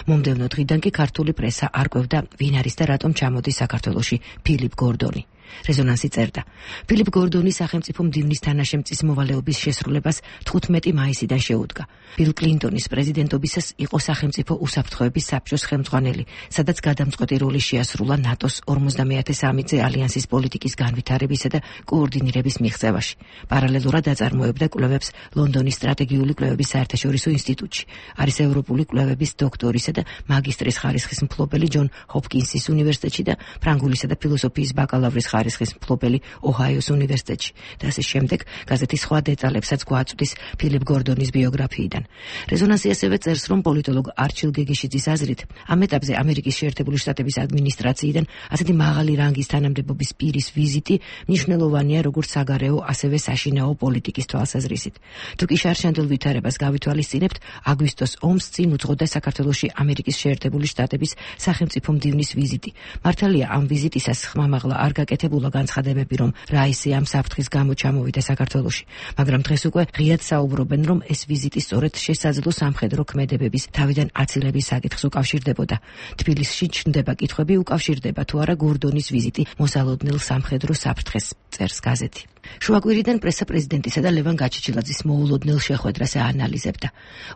მომდევნო დღიდან კი ქართული პრესა არ კვევდა ვინ არის და რატომ ჩამოდის საქართველოში ფილიპ გორდონი. რეზონანსი წერდა. ფილიპ გორდონი სახელმწიფო მდივნის თანაშემწის მოვალეობის შესრულებას თხუთმეტი მაისიდან შეუდგა. ბილ კლინტონის პრეზიდენტობისას იყო სახელმწიფო უსაფრთხოების საბჭოს ხელმძღვანელი, სადაც გადამწყვეტი როლი შეასრულა ნატოს ორმოცდამეათე სამი-წე ალიანსის პოლიტიკის განვითარებისა და კოორდინირების მიღწევაში. პარალელურად აწარმოებდა კვლევებს ლონდონის სტრატეგიული კვლევების საერთაშორისო ინსტიტუტში. არის ევროპული კვლევების დოქტორისა და მაგისტრის ხარისხის მფლობელი ჯონ ჰოპკინსის უნივერსიტეტში და ფრანგულისა და ფილოსოფიის ბაკალავრის ხარისხის მფლობელი ოჰაიოს უნივერსიტეტში და ასე შემდეგ. გაზეთი სხვა დეტალებსაც გვაწვდის ფილიპ გორდონის ბიოგრაფიიდან. რეზონანსი ასევე წერს, რომ პოლიტოლოგ არჩილ გეგეშიძის აზრით, ამ ეტაპზე ამერიკის შეერთებული შტატების ადმინისტრაციიდან ასეთი მაღალი რანგის თანამდებობის პირის ვიზიტი მნიშვნელოვანია როგორც საგარეო, ასევე საშინაო პოლიტიკის თვალსაზრისით. თუ კი შარშანდელ ვითარებას გავითვალისწინებთ, აგვისტოს ომს წინ უძღოდა საქართველოში ამერიკის შეერთებული შტატების სახელმწიფო მდივნის ვიზიტი. მართალია, ამ ვიზიტისას ხმამაღლა არ გაკეთებულა განცხადებები, რომ რაისი ამ საფრთხის გამო ჩამოვიდა საქართველოში, მაგრამ დღეს უკვე ღიად საუბრობენ, რომ ეს ვიზიტი სწორედ შესაძლო სამხედრო ქმედებების თავიდან აცილების საკითხს უკავშირდებოდა. თბილისში ჩნდება კითხვები, უკავშირდება თუ არა გორდონის ვიზიტი მოსალოდნელ სამხედრო საფრთხეს, წერს გაზეთი. შუაკვირიდან პრესა პრეზიდენტისა და ლევან გაჩეჩილაძის მოულოდნელ შეხვედრას აანალიზებდა.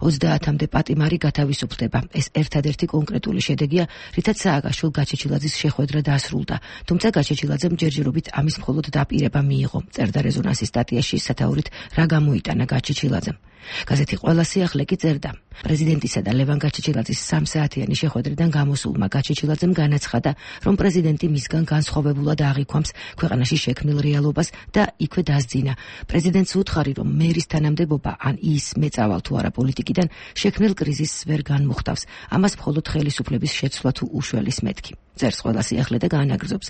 ოცდაათამდე პატიმარი გათავისუფლდება. ეს ერთადერთი კონკრეტული შედეგია, რითაც სააკაშვილ გაჩეჩილაძის შეხვედრა დასრულდა, თუმცა გაჩეჩილაძემ ჯერჯერობით ამის მხოლოდ დაპირება მიიღო, წერდა რეზონანსის სტატიაში სათაურით რა გამოიტანა გაჩეჩილაძემ. გაზეთი ყველა სიახლე კი წერდა. პრეზიდენტისა და ლევან გაჩეჩილაძის სამსაათიანი შეხვედრიდან გამოსულმა გაჩეჩილაძემ განაცხადა, რომ პრეზიდენტი მისგან განსხვავებულად აღიქვამს ქვეყანაში შექმნილ რეალობას და იქვე დასძინა. პრეზიდენტს უთხარი, რომ მერის თანამდებობა ან ის მეწავალ თუ არა პოლიტიკიდან შექმნილ კრიზისს ვერ განმუხტავს. ამას მხოლოდ ხელისუფლების შეცვლა თუ უშველის მეთქი. წერს ყველა სიახლე და გაანაგრძობს.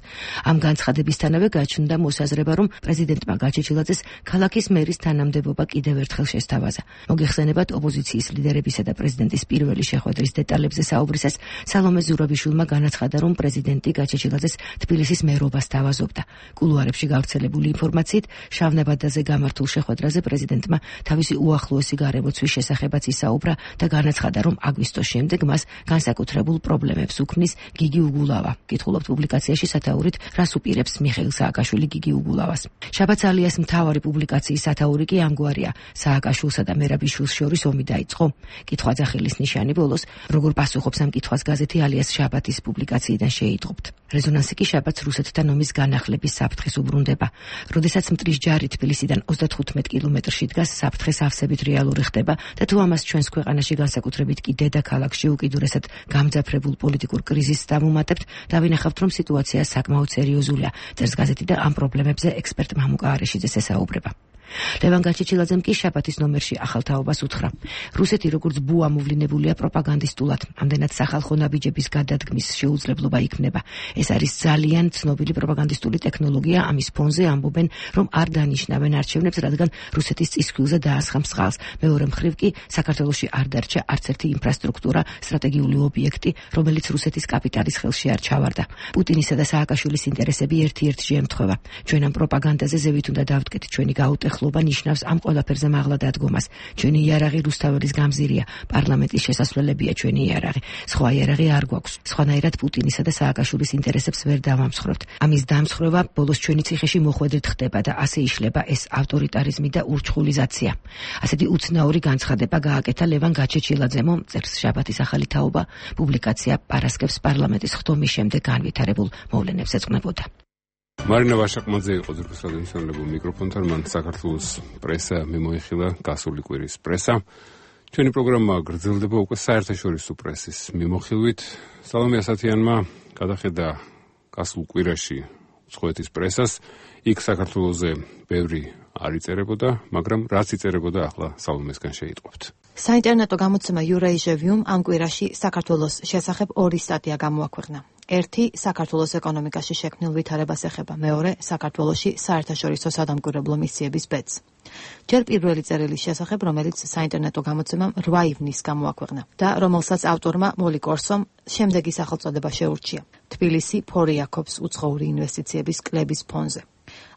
ამ განცხადებისთანავე გაჩნდა მოსაზრება, რომ პრეზიდენტმა გაჩეჩილაძეს ქალაქის მერის თანამდებობა კიდევ ერთხელ შესთავაზა. მოგეხსენებათ, ოპოზიციის ლიდერებისა და პრეზიდენტის პირველი შეხვედრის დეტალებზე საუბრისას სალომე ზურავიშვილმა განაცხადა, რომ პრეზიდენტი გაჩეჩილაძეს თბილისის მერობას თავაზობდა. კულუარებში გავრცელებული ინფორმაციით, შავნაბადაზე გამართულ შეხვედრაზე პრეზიდენტმა თავისი უახლოესი გარემოცვის შესახებაც ისაუბრა და განაცხადა, რომ აგვისტოს შემდეგ მას განსაკუთრებულ პრობლემებს უქმნის გიგი უგულავა. კითხულობთ პუბლიკაციაში სათაურით, რას უპირებს მიხეილ სააკაშვილი გიგი უგულავას. შაბათს ალიას მთავარი პუბლიკაციის სათაური კი ამგვარია: სააკაშვილსა და მერაბიშვილს შორის ომი დაიწყო. კითხვა ძახილის ნიშანი ბოლოს, როგორ პასუხობს ამ კითხვას გაზეთი ალიას შაბათის პუბლიკაციიდან შეიტყობთ. რეზონანსი კი შაბათს რუსეთთან ომის განახლების საფრთხეს უბრუნდება. როდესაც მტრის ჯარი თბილისიდან ოცდათხუთმეტ კილომეტრში დგას, საფრთხეს ავსებით რეალური ხდება და თუ ამას ჩვენს ქვეყანაში განსაკუთრებით კი დედაქალაქში უკიდურესად გამძაფრებულ პოლიტიკურ კრიზისს დავუმატებთ, დავინახავთ, რომ სიტუაცია საკმაოდ სერიოზულია, წერს გაზეთი და ამ პრობლემებზე ექსპერტ მამუკა არეშიძეს ესაუბრება. ლევან გაჩეჩილაძემ კი შაბათის ნომერში ახალ თაობას უთხრა. რუსეთი როგორც ბუა მოვლინებულია პროპაგანდისტულად, ამდენად სახალხო ნაბიჯების გადადგმის შეუძლებლობა იქმნება. ეს არის ძალიან ცნობილი პროპაგანდისტული ტექნოლოგია, ამის ფონზე ამბობენ, რომ არ დანიშნავენ არჩევნებს, რადგან რუსეთის წისქვილზე დაასხა მსხალს. მეორე მხრივ კი საქართველოში არ დარჩა არც ერთი ინფრასტრუქტურა, სტრატეგიული ობიექტი, რომელიც რუსეთის კაპიტალის ხელში არ ჩავარდა. პუტინისა და სააკაშვილის ინტერესები ერთ-ერთში ემთხვევა. ჩვენ ამ პროპაგანდაზე ზევით უნდა დავდგეთ, ჩვენი გაუტეხლობა ნიშნავს ამ ყველაფერზე მაღლა დადგომას. ჩვენი იარაღი რუსთაველის გამზირია, პარლამენტის შესასვლელებია ჩვენი იარაღი. სხვა იარაღი არ გვაქვს. სხვანაირად პუტინისა და სააკაშვილის ინტერესებს ვერ დავამსხვრევთ. ამის დამსხვრევა ბოლოს ჩვენი ციხეში მოხვედრით ხდება და ასე იშლება ეს ავტორიტარიზმი და ურჩხულიზაცია. ასეთი უცნაური განცხადება გააკეთა ლევან გაჩეჩილაძემ, წერს შაბათის ახალი თაობა. პუბლიკაცია პარასკევს პარლამენტის ხდომის შემდეგ განვითარებულ მოვლენებს ეძღვნებოდა. მარინა ვაშაკმაძე იყო ძრფის რადიოსანლებო მიკროფონთან, მან საქართველოს პრესა მიმოიხილა გასული კვირის პრესა. ჩვენი პროგრამა გრძელდება უკვე საერთაშორისო პრესის მიმოხილვით. სალომე ასათიანმა გადახედა გასულ კვირაში უცხოეთის პრესას. იქ საქართველოზე ბევრი არ იწერებოდა, მაგრამ რაც იწერებოდა ახლა სალომესგან შეიტყობთ. საინტერნეტო გამოცემა Eurasia-Vium ამ კვირაში საქართველოს შესახებ ორი სტატია გამოაქვეყნა. ერთი საქართველოს ეკონომიკაში შექმნილ ვითარებას ეხება, მეორე საქართველოში საერთაშორისო სადამკვირვებლო მისიების ბედს. ჯერ პირველი წერილის შესახებ, რომელიც საინტერნეტო გამოცემამ რვა ივნისს გამოაქვეყნა და რომელსაც ავტორმა მოლი კორსომ შემდეგი სახელწოდება შეურჩია: თბილისი ფორიაქობს უცხოური ინვესტიციების კლების ფონზე.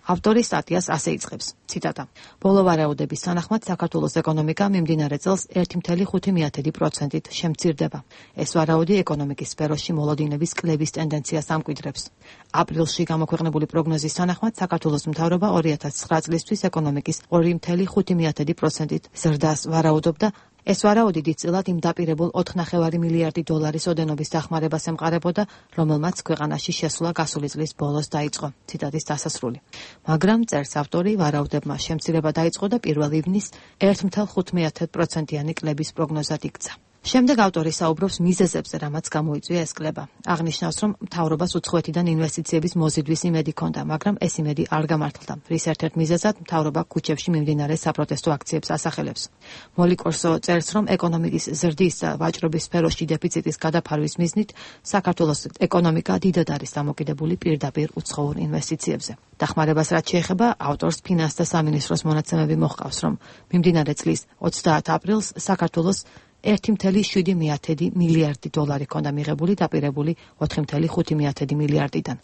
ავტორი სტატიას ასე იწყებს, ციტატა: ბოლო ვარაუდების თანახმად საქართველოს ეკონომიკა მიმდინარე წელს ერთი კoma ხუთი პროცენტით შემცირდება. ეს ვარაუდი ეკონომიკის სფეროში მოლოდინების კლების ტენდენციას ამკვიდრებს. აპრილში გამოქვეყნებული პროგნოზის თანახმად საქართველოს მთავრობა ორი ათას ცხრა წლისთვის ეკონომიკის ორი კoma ხუთი პროცენტით ზრდას ვარაუდობდა. ეს ვარაუდი დიდწილად იმ დაპირებულ ოთხ კoma პέντε მილიარდი დოლარის ოდენობის დახმარებას ემყარებოდა, რომელმაც ქვეყანაში შესვლა გასული წლის ბოლოს დაიწყო. ციტატის დასასრული. მაგრამ წერს ავტორი, ვარაუდებმა შემცირება დაიწყო და პირველ ივნისს ერთი კoma ხუთი პროცენტიანი კლების პროგნოზად იქცა. შემდეგ ავტორი საუბრობს მიზეზებზე, რამაც გამოიწვია ეს კლება. აღნიშნავს, რომ მთავრობას უცხოეთიდან ინვესტიციების მოზიდვის იმედი ჰქონდა, მაგრამ ეს იმედი არ გამართლდა. რის ერთ-ერთ მიზეზად მთავრობა ქუჩებში მიმდინარე საპროტესტო აქციებს ასახელებს. მოლი კორსო წერს, რომ ეკონომიკის ზრდის და ვაჭრობის სფეროში დეფიციტის გადაფარვის მიზნით საქართველოს ეკონომიკა დიდად არის დამოკიდებული პირდაპირ უცხოურ ინვესტიციებზე. დახმარებას რაც შეეხება, ავტორს ფინანსთა სამინისტროს მონაცემები მოჰყავს, რომ მიმდინარე წლის ოცდაათ აპრილს საქართველოს ერთი კoma შვიდი მილიარდი დოლარი ჰქონდა მიღებული დაპირებული ოთხი კoma ხუთი მილიარდიდან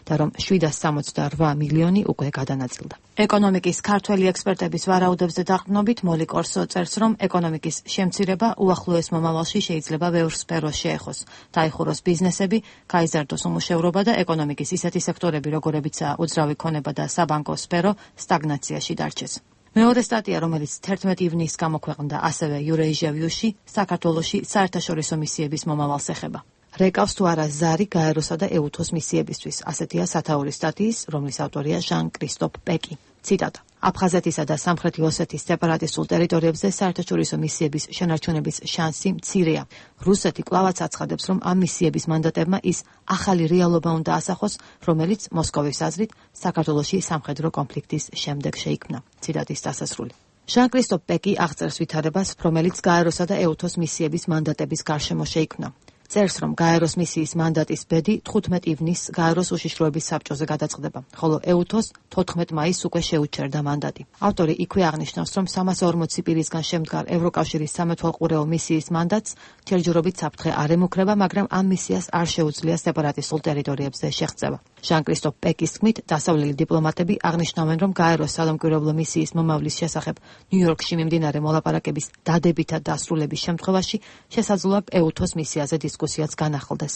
და რომ შვიდას სამოცდა რვა მილიონი უკვე გადანაწილდა. ეკონომიკის ქართველი ექსპერტების ვარაუდებზე დაყრდნობით მოლი კორსო წერს, რომ ეკონომიკის შემცირება უახლოეს მომავალში შეიძლება ბევრ სფეროს შეეხოს, დაიხუროს ბიზნესები, გაიზარდოს უმუშევრობა და ეკონომიკის ისეთი სექტორები, როგორებიცაა უძრავი ქონება და საბანკო სფერო, სტაგნაციაში დარჩეს. მეორე სტატია, რომელიც თერთმეტი ივნისს გამოქვეყნდა ასევე Eurasia-Vium-ში, საქართველოში საერთაშორისო მისიების მომავალს ეხება. რეკავს თუ არა ზარი გაეროსა და ეუთოს მისიებისთვის, ასეთია სათაურის სტატიის, რომლის ავტორია ჟან-კრისტოფ პეკი. ციტატა: აფხაზეთისა და სამხრეთი ოსეთის სეპარატისტულ ტერიტორიებზე საერთაშორისო მისიების შენარჩუნების შანსი მცირეა. რუსეთი კვლავაც აცხადებს, რომ ამ მისიების მანდატებმა ის ახალი რეალობა უნდა ასახოს, რომელიც მოსკოვის აზრით საქართველოში სამხედრო კონფლიქტის შემდეგ შეიქმნა. ციტატის დასასრული. ჟან-კრისტოფ პეკი აღწერს ვითარებას, რომელიც გაეროსა და ეუთოს მისიების მანდატების გარშემო შეიქმნა. წერს, რომ გაეროს მისიის მანდატის ბედი თხუთმეტი ივნისს გაეროს უშიშროების საბჭოზე გადაწყდება, ხოლო ეუთოს თოთხმეტ მაისს უკვე შეუჩერდა მანდატი. ავტორი იქვე აღნიშნავს, რომ სამასი ორმოცი პირისგან შემდგარ ევროკავშირის სამეთვალყურეო მისიის მანდატს ჯერჯერობით საფრთხე არ ემუქრება, მაგრამ ამ მისიას არ შეუძლია სეპარატისტულ ტერიტორიებზე შეღწევა. ჟან-კრისტოფ პეკის თქმით, დასავლელი დიპლომატები აღნიშნავენ, რომ გაეროს სადამკვირვებლო მისიის მომავლის შესახებ ნიუ-იორკში მიმდინარე მოლაპარაკების დადებითად დასრულების შემთხვევაში შესაძლოა ეუთოს მისიაზე დისკუსიაც განახლდეს.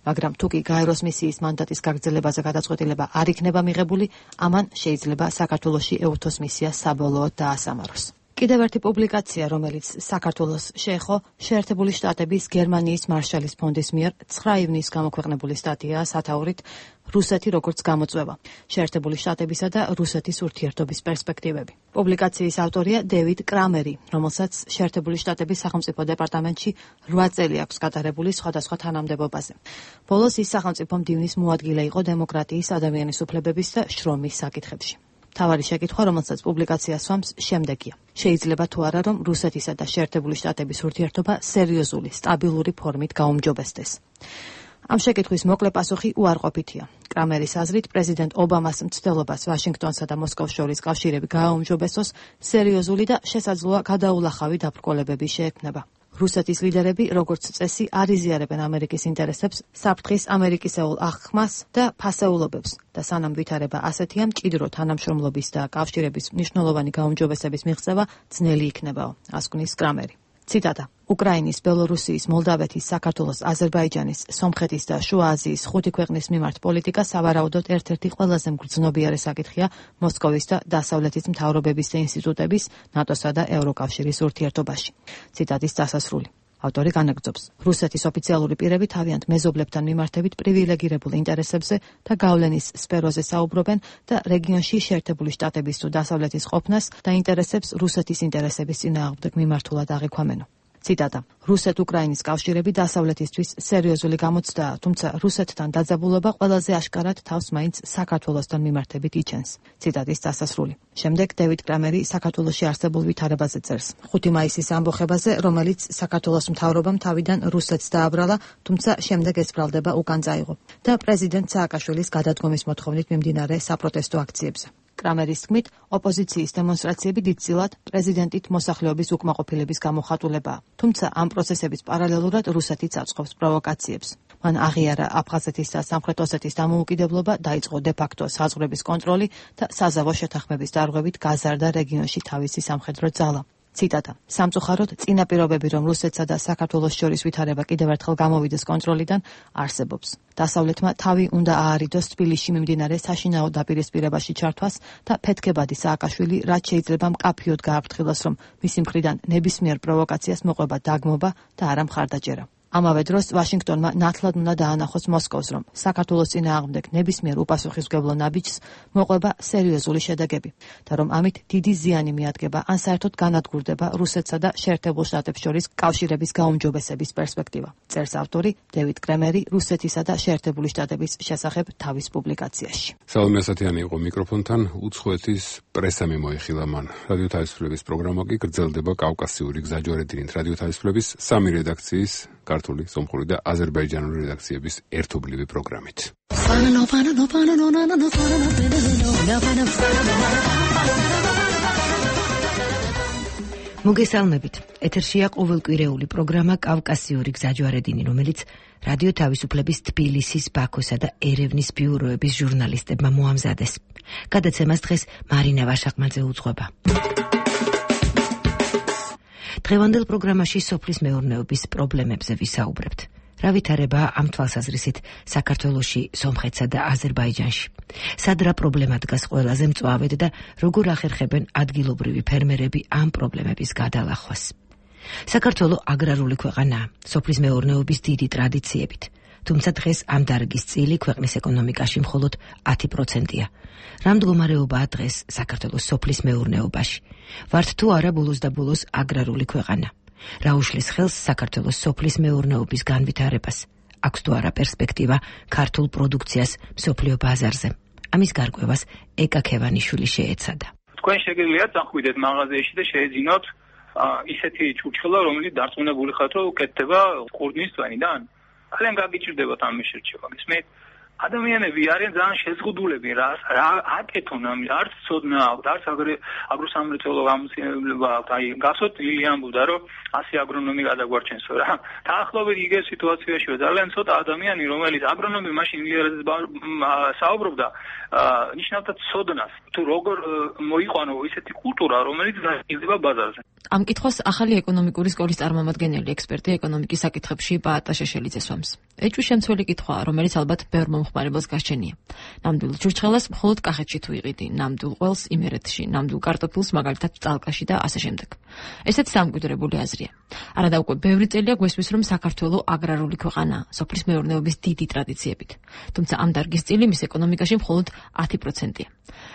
მაგრამ თუ კი გაეროს მისიის მანდატის გაგრძელებაზე გადაწყვეტილება არ იქნება მიღებული, ამან შეიძლება საქართველოში ეუთოს მისია საბოლოოდ დაასამაროს. კიდევ ერთი პუბლიკაცია, რომელიც საქართველოს შეეხო, შეერთებული შტატების გერმანიის მარშალის ფონდის მიერ ცხრა ივნისს გამოქვეყნებული სტატიაა სათაურით რუსეთი როგორც გამოწვევა, შეერთებული შტატებისა და რუსეთის ურთიერთობის პერსპექტივები. პუბლიკაციის ავტორია დევიდ კრამერი, რომელსაც შეერთებული შტატების სახელმწიფო დეპარტამენტში რვა წელი აქვს გატარებული სხვადასხვა თანამდებობაზე. ბოლოს ის სახელმწიფო მდივნის მოადგილე იყო დემოკრატიის, ადამიანის უფლებების და შრომის საკითხებში. თავარი შეკითხვა, რომელსაც პუბლიკაცია სვამს, შემდეგია. შეიძლება თუ არა, რომ რუსეთისა და შეერთებული შტატების ურთიერთობა სერიოზული, სტაბილური ფორმით გაუმჯობესდეს. ამ შეკითხვის მოკლე პასუხი უარყოფითია. კრამერის აზრით, პრეზიდენტ ობამას მცდელობას ვაშინგტონსა და მოსკოვს შორის კავშირები გააუმჯობესოს სერიოზული და შესაძლოა გადაულახავი დაბრკოლებები შეექმნება. რუსეთის ლიდერები, როგორც წესი, არ იზიარებენ ამერიკის ინტერესებს, საფრთხის ამერიკისეულ აღქმას და ფასეულობებს და სანამ ვითარება ასეთია, მჭიდრო თანამშრომლობის და კავშირების მნიშვნელოვანი გაუმჯობესების მიღწევა ძნელი იქნებაო, ასკვნის კრამერი. ციტატა: უკრაინის, ბელორუსიის, მოლდავეთის, საქართველოს, აზერბაიჯანის, სომხეთის და შუა აზიის ხუთი ქვეყნის მიმართ პოლიტიკა სავარაუდოდ ერთ-ერთი ყველაზე მგრძნობიარე საკითხია მოსკოვის და დასავლეთის მთავრობების და ინსტიტუტების, ნატოსა და ევროკავშირის ურთიერთობაში. ციტატის დასასრული. ავტორი განაგრძობს: რუსეთის ოფიციალური პირები თავიანთ მეზობლებთან მიმართებით პრივილეგირებულ ინტერესებზე და გავლენის სფეროზე საუბრობენ და რეგიონში შეერთებული შტატების თუ დასავლეთის ყოფნას და ინტერესებს რუსეთის ინტერესების წინააღმდეგ მიმართულად აღიქვამენო. ციტატა: რუსეთ-უკრაინის კავშირები დასავლეთისთვის სერიოზული გამოცდაა, თუმცა რუსეთთან დაძაბულობა ყველაზე აშკარად თავს მაინც საქართველოსთან მიმართებით იჩენს. ციტატის დასასრული. შემდეგ დევიდ კრამერი საქართველოში არსებულ ვითარებაზე წერს. ხუთი მაისის ამბოხებაზე, რომელიც საქართველოს მთავრობამ თავიდან რუსეთს დააბრალა, თუმცა შემდეგ ეს ბრალდება უკან წაიღო და პრეზიდენტ სააკაშვილის გადადგომის მოთხოვნით მიმდინარე საპროტესტო აქციებზე. კრამერის თქმით, ოპოზიციის დემონსტრაციები დიდწილად პრეზიდენტით მოსახლეობის უკმაყოფილების გამოხატულებაა. თუმცა ამ პროცესების პარალელურად რუსეთიც აწყობს პროვოკაციებს. მან აღიარა აფხაზეთის და სამხრეთ ოსეთის დამოუკიდებლობა, დაიწყო დე-ფაქტო საზღვრების კონტროლი და საზავო შეთანხმების დარღვევით გაზარდა რეგიონში თავისი სამხედრო ძალა. ციტატა: სამწუხაროდ, წინა პირობები, რომ რუსეთსა და საქართველოს შორის ვითარება კიდევ ერთხელ გამოვიდეს კონტროლიდან, არსებობს. დასავლეთმა თავი უნდა აარიდოს თბილისში მიმდინარე საშინაო დაპირისპირებაში ჩართვას და ფეთქებადი სააკაშვილი რაც შეიძლება მკაფიოდ გააფრთხილოს, რომ მისი მხრიდან ნებისმიერ პროვოკაციას მოყვება დაგმობა და არა მხარდაჭერა. ამავე დროს ვაშინგტონმა ნათლად უნდა დაანახოს მოსკოვს, რომ საქართველოს წინააღმდეგ ნებისმიერ უპასუხისმგებლო ნაბიჯს მოყვება სერიოზული შედეგები და რომ ამით დიდი ზიანი მიადგება ან საერთოდ განადგურდება რუსეთსა და შეერთებულ შტატებს შორის კავშირების გაუმჯობესების პერსპექტივა. წერს ავტორი დევიდ კრამერი რუსეთისა და შეერთებული შტატების შესახებ თავის პუბლიკაციაში. სალომე ასათიანი იყო მიკროფონთან, უცხოეთის პრესამ მოიხილა მან. რადიო თავისუფლების პროგრამა კი გრძელდება კავკასიური გზაჯვარედინით რადიო თავისუფლების სამი რედაქციის ქართული, სომხური და აზერბაიჯანული რედაქციების ერთობლივი პროგრამით. მოგესალმებით. ეთერშია ყოველკვირეული პროგრამა კავკასიური გზაჯვარედინი, რომელიც რადიო თავისუფლების თბილისის, ბაქოსა და ერევნის ბიუროების ჟურნალისტებმა მოამზადეს. გადაცემას დღეს მარინა ვაშაყმაძე უძღვება. დღევანდელ პროგრამაში სოფლის მეურნეობის პრობლემებზე ვისაუბრებთ. რა ვითარებაა ამ თვალსაზრისით საქართველოში, სომხეთსა და აზერბაიჯანში? სად რა პრობლემა დგას ყველაზე მწვავედ და როგორ ახერხებენ ადგილობრივი ფერმერები ამ პრობლემების გადალახვას? საქართველო აგრარული ქვეყანაა, სოფლის მეურნეობის დიდი ტრადიციებით. თუმცა დღეს ამ დარგის წილი ქვეყნის ეკონომიკაში მხოლოდ ათი პროცენტია. რა მდგომარეობაა დღეს საქართველოს სოფლის მეურნეობაში? ვართ თუ არა ბოლოს და ბოლოს აგრარული ქვეყანა? რა უშლის ხელს საქართველოს სოფლის მეურნეობის განვითარებას? აქვს თუ არა პერსპექტივა ქართულ პროდუქციას მსოფლიო ბაზარზე? ამის გარკვევას ეკა ქევანიშვილი შეეცადა. თქვენ შეგიძლიათ წახვიდეთ მაღაზიაში და შეეძინოთ ისეთი ჭურჭხელა, რომელიც დარწმუნებული ხართ, რომ უკეთდება ყურძნის წვენიდან? ძალიან გაგიჭირდებათ ამ შეერჩევა. გისმენთ? ადამიანები არიან ძალიან შეზღუდულები, რა რა აკეთონ ამ არც ცოდნა აქვს, არც აგროსამრეწველო გამოცდილება აქვს. აი, გასოთ ლილი ამბობდა, რომ ასი აგრონომი გადაგვარჩენსო რა. დაახლოებით იგივე სიტუაციაშია ძალიან ცოტა ადამიანი, რომელიც აგრონომი მაშინ ლიერაზე საუბრობდა, ნიშნავდა ცოდნას, თუ როგორ მოიყვანო ისეთი კულტურა, რომელიც გაიზრდება ბაზარზე. ამ კითხვას ახალი ეკონომიკური სკოლის წარმომადგენელი ექსპერტი ეკონომიკის საკითხებში პაატა შეშელიძე სვამს. ეჭვი შემცველი კითხვაა, რომელიც ალბათ ბევრ მომხმარებელს გასჩენია. ნამდვილ ჭურჭხელას მხოლოდ კახეთში თუ იყიდი, ნამდვილ ყველს იმერეთში, ნამდვილ კარტოფილს მაგალითად წალკაში და ასე შემდეგ. ესეც დამკვიდრებული აზრია. არადა უკვე ბევრი წელია გვესმის, რომ საქართველო აგრარული ქვეყანაა, სოფლის მეურნეობის დიდი ტრადიციებით. თუმცა ამ დარგის წილი მის ეკონომიკაში მხოლოდ ათი პროცენტია.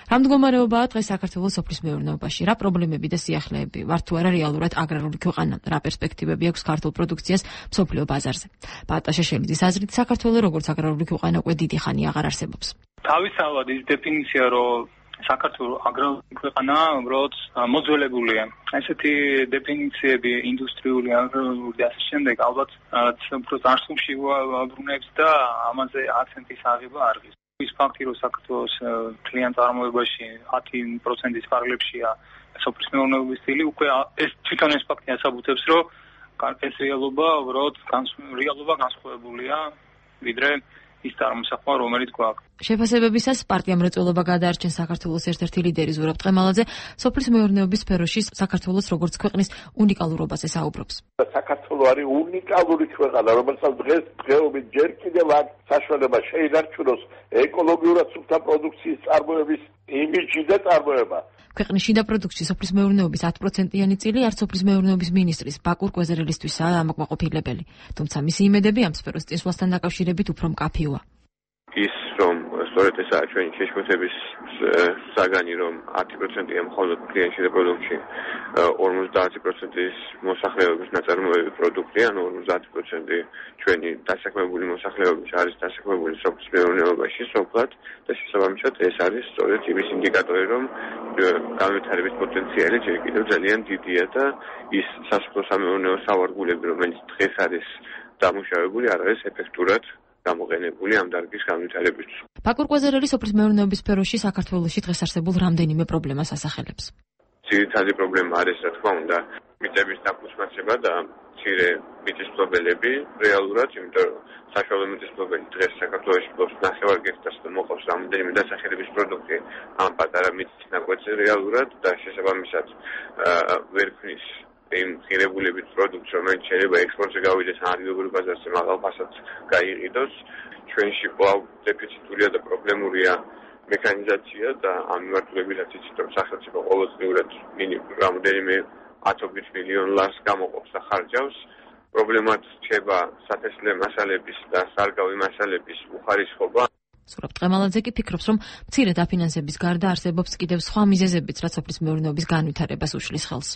რა მდგომარეობაა დღეს საქართველოს სოფლის მეურნეობაში? რა პრობლემები და სიახლეები? ვართ თუ არა რეალურად აგრარული ქვეყანა? რა პერსპექტივები აქვს ქართულ პროდუქციას მსოფლიო ბაზარზე? პაატა შეშელიძის აზრით, საქართველო როგორც აგრარული ქვეყანა უკვე დიდი ხანი აღარ არსებობს. თავისთავად ის დეფინიცია, რომ საქართველოს აგრარული ქვეყანაა, უბრალოდ მოძველებულია. ესეთი დეფინიციები ინდუსტრიული, აგრარული და ასე შემდეგ ალბათ უფრო წარსულში ვაბრუნებს და ამაზე აქცენტის აღება არ ღირს. ის ფაქტი, რომ საქართველოს მთლიან წარმოებაში ათი პროცენტის ფარგლებშია სოფლის მეურნეობის სტილი, უკვე ეს თვითონ ეს ფაქტი ასაბუთებს, რომ ეს რეალობა უბრალოდ რეალობა განსხვავებულია ვიდრე ის წარმოსახვა, რომელიც გვაქვს. შეფასებებისას პარტია მრეწველობა გადაარჩენს საქართველოს ერთ-ერთი ლიდერი ზურაბ ტყემალაძე სოფლის მეურნეობის სფეროში საქართველოს როგორც ქვეყნის უნიკალურობაზე საუბრობს. საქართველოს არის უნიკალური ქვეყანა, რომელსაც დღეს დღეობით ჯერ კიდევ აქვს საშუალება შეინარჩუნოს ეკოლოგიურად სუფთა პროდუქციის წარმოების იმიჯი და წარმოება. ქვეყნის შიდა პროდუქციის სოფლის მეურნეობის ათი პროცენტიანი წილი არც სოფლის მეურნეობის მინისტრის ბაკურ კვეზერელისთვისაა ამოკმაყოფილებელი. თუმცა მისი იმედები ამ სფეროს წინსვლასთან დაკავშირებით უფრო მკაფიოა. ის რომ სწორედ ესაა ჩვენი შეშფოთების საგანი, რომ ათი პროცენტია მხოლოდ კლიენტში და პროდუქტში, ორმოცდაათი პროცენტის მოსახლეობის ნაწარმოები პროდუქტი, ანუ ორმოცდაათი პროცენტი ჩვენი დასაქმებული მოსახლეობის არის დასაქმებული სოფლის მეურნეობაში სოფლად და შესაბამისად ეს არის სწორედ იმის ინდიკატორი, რომ განვითარების პოტენციალი ჯერ კიდევ ძალიან დიდია და ის სასოფლო-სამეურნეო სავარგულები, რომელიც დღეს არის დამუშავებული, არ არის ეფექტურად გამოყენებული ამ დარგის განვითარებისთვის. ბაკურ კვეზერელი სოფლის მეურნეობის სფეროში საქართველოში დღეს არსებულ რამდენიმე პრობლემას ასახელებს. ძირითადი პრობლემა არის, რა თქმა უნდა, მიწების დაფუძნაცება და მცირე მიწისმფლობელები რეალურად, იმიტომ რომ საშუალო მიწისმფლობელი დღეს საქართველოში ფლობს ნახევარ გექტარს და მოყავს რამდენიმე დასახელების პროდუქტი ამ პატარა მიწის ნაკვეთზე რეალურად და შესაბამისად ვერ ქმნის იმ ღირებულებით პროდუქტს, რომელიც შეიძლება ექსპორტზე გავიდეს ადგილობრივ ბაზარზე მაღალ ფასად გაიყიდოს. ჩვენში კვლავ დეფიციტურია და პრობლემურია მექანიზაცია და ამ მიმართულებითაც იცით, რომ სახელმწიფო ყოველწლიურად რამდენიმე ათობით მილიონ ლარს გამოყოფს და ხარჯავს. პრობლემად რჩება სათესლე მასალების და სარგავი მასალების უხარისხობა. ზურაბ ტყემალაძე კი ფიქრობს, რომ მცირე დაფინანსების გარდა არსებობს კიდევ სხვა მიზეზებიც, რაც სოფლის მეურნეობის განვითარებას უშლის ხელს.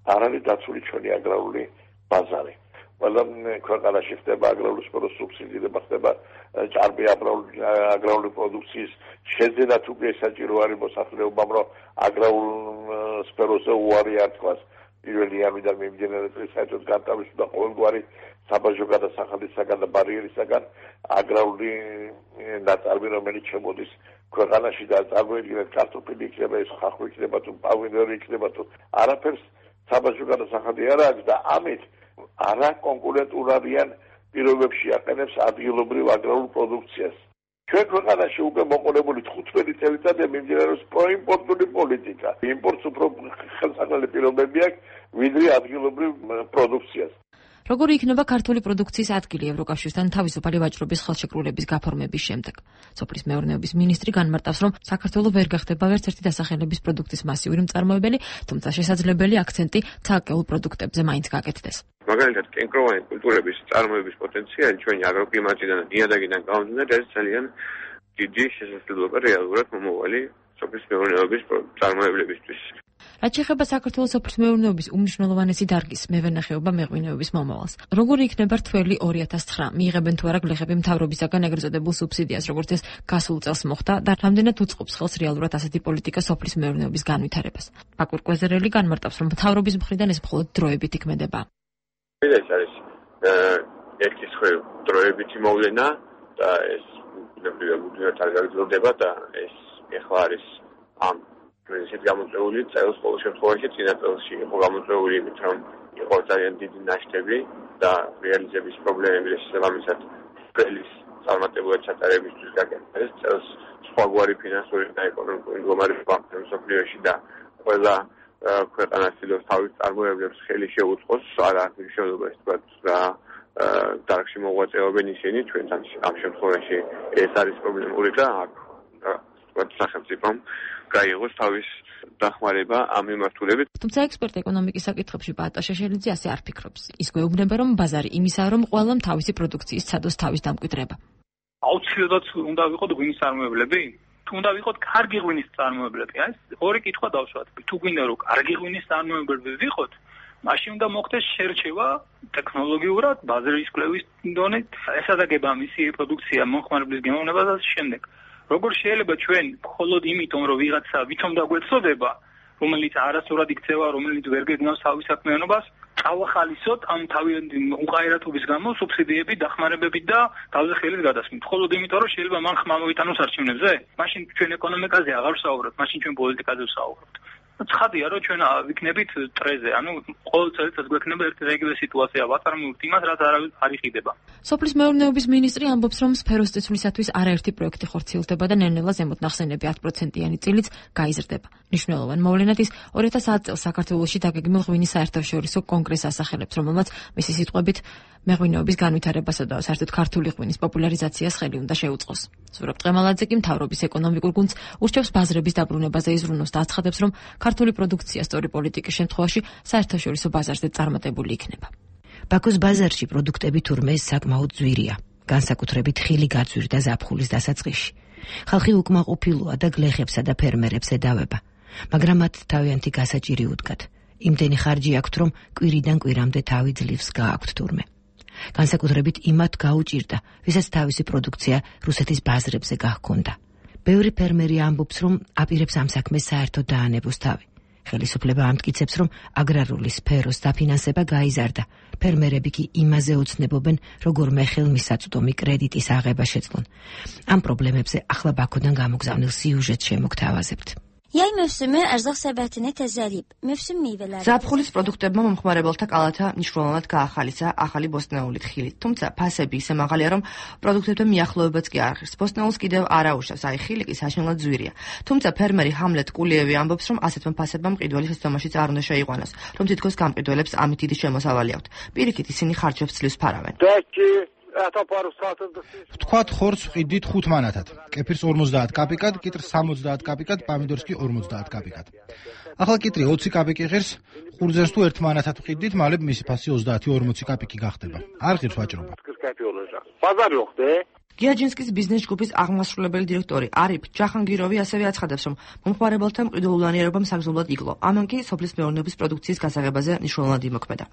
არ არის დაცული ჩვენი აგრარული ბაზარი. ყველა ქვეყანაში ხდება აგრარული სფეროს სუბსიდირება, ხდება ჭარბი აგრარული პროდუქციის შეძენა თუ საჭირო არის მოსახლეობამ, რომ აგრარულ სფეროზე უარი არ თქვას. პირველი იანვრიდან მიმდინარე წლის საერთოდ განთავისუფლდა ყოველგვარი საბაჟო გადასახადისაგან და ბარიერისაგან აგრარული ნაწარმი, რომელიც შემოდის ქვეყანაში და წარმოიდგინეთ კარტოფილი იქნება, ეს ხახვი იქნება თუ პავინდორი იქნება თუ არაფერს საბაჟო გადასახადი არ აქვს და ამით არა კონკურენტულ არიან პირობებში აყენებს ადგილობრივ აგრარულ პროდუქციას. ჩვენ ქვეყანაში უკვე მოყოლებული თხუთმეტი წელიწადია მიმდინარეობს პროიმპორტული პოლიტიკა. იმპორტს უფრო ხელსაყრელი პირობები აქვს ვიდრე ადგილობრივ პროდუქციას. როგორი იქნება ქართული პროდუქციის ადგილი ევროკავშირთან თავისუფალი ვაჭრობის ხელშეკრულების გაფორმების შემდეგ? სოფლის მეურნეობის მინისტრი განმარტავს, რომ საქართველო ვერ გახდება ვერც ერთი დასახელების პროდუქტის მასიური მწარმოებელი, თუმცა შესაძლებელი აქცენტი ცალკეულ პროდუქტებზე მაინც გაკეთდეს. მაგალითად, კენკროვანი კულტურების წარმოების პოტენციალი ჩვენი აგროკლიმატიდან და ნიადაგიდან გამომდინარე არის ძალიან დიდი შესაძლებლობა რეალურად მომავალი სოფლის მეურნეობის წარმოებლებისთვის. რაც შეეხება საქართველოს სოფლის მეურნეობის უმნიშვნელოვანესი დარგის მევენახეობა მეღვინეობის მომავალს. როგორი იქნება რთველი ორი ათას ცხრა? მიიღებენ თუ არა გლეხები მთავრობისაგან ეგრეთ წოდებულ სუბსიდიას, როგორც ეს გასულ წელს მოხდა და რამდენად უწყობს ხელს რეალურად ასეთი პოლიტიკა სოფლის მეურნეობის განვითარებას? ბაკურ კვეზერელი განმარტავს, რომ მთავრობის მხრიდან ეს მხოლოდ დროებით იქმედება. ეს არის ერთი მხრივ დროებითი მოვლენა და ეს ნებრივად არ გაგრძელდება და ეს ეხლა არის ამ ისეთ გამოწვეული წელს ყოველ შემთხვევაში წინა წელსში იყო გამოწვეული იმით, რომ იყო ძალიან დიდი ნაშთები და რეალიზების პრობლემები და შესაბამისად წელის წარმატებულად ჩატარებისთვის გაკეთდა ეს წელს სხვაგვარი ფინანსური და ეკონომიკური მდგომარეობა მსოფლიოში და ყველა ქვეყანა ცდილობს თავის წარმოებლებს ხელი შეუწყოს, არა მნიშვნელობა ის თქვა რა დარგში მოღვაწეობენ ისინი, ჩვენთან ამ შემთხვევაში ეს არის პრობლემური და აქ სახელმწიფომ გაიღოს თავის დახმარება ამ მიმართულებით. თუმცა ექსპერტ ეკონომიკის საკითხებში პაატა შეშელიძე ასე არ ფიქრობს. ის გვეუბნება, რომ ბაზარი იმისაა, რომ ყველამ თავისი პროდუქციის ცადოს თავის დამკვიდრება. აუცილებლად უნდა ვიყოთ ღვინის წარმოებლები? თუ უნდა ვიყოთ კარგი ღვინის წარმოებლები? აი, ორი კითხვა დავშვათ. თუ გვინდა რომ კარგი ღვინის წარმოებლები ვიყოთ, მაშინ უნდა მოხდეს შერჩევა ტექნოლოგიურად, ბაზრის კვლევის დონით, ესადაგება მისი პროდუქცია მომხმარებლის გემოვნებას და შემდეგ. როგორ შეიძლება ჩვენ მხოლოდ იმიტომ რომ ვიღაცა ვითომ დაგვეცოდება რომელიც არასწორად იქცევა, რომელიც ვერ გეგნავს თავის საქმიანობას, წავახალისოთ ამ თავიანთი უყაერათობის გამო სუბსიდიები დახმარებებით და თავზე ხელის გადასმით. მხოლოდ იმიტომ რომ შეიძლება მან ხმა მოიტანოს არჩევნებზე, მაშინ ჩვენ ეკონომიკაზე აღარ ვსაუბრობთ, მაშინ ჩვენ პოლიტიკაზე ვსაუბრობთ. ცხადია რომ ჩვენ ვიქნებით ტრეზე, ანუ ყოველ წელიწადს გვექნება ერთი და იგივე სიტუაცია, ვაწარმოებთ იმას, რაც არავის არ იხიდება. სოფლის მეურნეობის მინისტრი ამბობს, რომ სფეროს წესვლისათვის არაერთი პროექტი ხორციელდება და ნელ-ნელა ზემოთ ნახსენები ათ პროცენტიანი წილიც გაიზრდება. მნიშვნელოვან მოვლენად ის ორი ათას ათ წელს საქართველოში დაგეგმილ ღვინის საერთაშორისო კონგრესს ასახელებს, რომელმაც მისი სიტყვებით მეღვინეობის განვითარებასა და საერთოდ ქართული ღვინის პოპულარიზაციას ხელი უნდა შეუწყოს. ზურაბ ტყემალაძე კი მთავრობის ეკონომიკურ გუნდს ურჩევს ბაზრების დაბრუნებაზე იზრუნოს და აცხადებს, რომ ქართული პროდუქცია სწორი პოლიტიკის შემთხვევაში საერთაშორისო ბაზარზე წარმატებული იქნება. ბაქოს ბაზარში პროდუქტები თურმე საკმაოდ ძვირია, განსაკუთრებით ხილი გაძვირ და ზაფხულის დასაწყისში. ხალხი უკმაყოფილოა და გლეხებსა და ფერმერებს ედავება, მაგრამ მათ თავიანთი გასაჭირი უდგათ. იმდენი ხარჯი აქვთ, რომ კვირიდან კვირამდე თავი ძლივს გააქვთ თურმე. განსაკუთრებით იმათ გაუჭირდა, ვისაც თავისი პროდუქცია რუსეთის ბაზრებზე გაჰქონდა. ბევრი ფერმერი ამბობს, რომ აპირებს ამ საქმეს საერთოდ დაანებოს თავი. ხელისუფლება ამტკიცებს, რომ აგრარული სფეროს დაფინანსება გაიზარდა. ფერმერები კი იმაზე ოცნებობენ, როგორ ხელმისაწვდომი კრედიტის აღება შეძლონ. ამ პრობლემებზე ახლა ბაქოდან გამოგზავნილ სიუჟეტს შემოგთავაზებთ. Yay mevsimi ərzaq səbətini təzəliyib. Mevsim meyvələri. ზაფხულის პროდუქტებმა მომხმარებელთა კალათა მნიშვნელოვნად გაახალისა ახალი ბოსტნეულით ხილით. თუმცა ფასები ისე მაღალია, რომ პროდუქტებთან მიახლოებაც კი არ ღირს. ბოსტნეულს კიდევ არაუშავს, აი ხილი კი საშინლად ძვირია. თუმცა ფერმერი ჰამლეტ კულიევი ამბობს, რომ ასეთმა ფასებმა მყიდველი შეცდომაშიც არ უნდა შეიყვანოს, რომ თითქოს გამყიდველებს ამით დიდი შემოსავალი აქვთ. პირიქით ისინი ხარჯებს ძლივს ფარავენ. ვთქვათ ხორცს ვყიდით ხუთ მანათად, კეფირს ორმოცდაათ კაპიკად, კიტრს სამოცდაათ კაპიკად, პამიდორს კი ორმოცდაათ კაპიკად. ახლა კიტრი ოცი კაპიკი ღირს, ყურძენს თუ ერთ მანათად ვყიდით, მალე მისი ფასი ოცდაათი ორმოცი კაპიკი გახდება. არ ღირს ვაჭრობა. გიაჯინსკის ბიზნეს ჯგუფის აღმასრულებელი დირექტორი არიფ ჯახანგიროვი ასევე აცხადებს, რომ მომხმარებელთა მყიდველულანიერობამ საგრძნობლად იკლო. ამან კი სოფლის მეურნეობის პროდუქციის გასაღებაზე მნიშვნელოვნად იმოქმედა.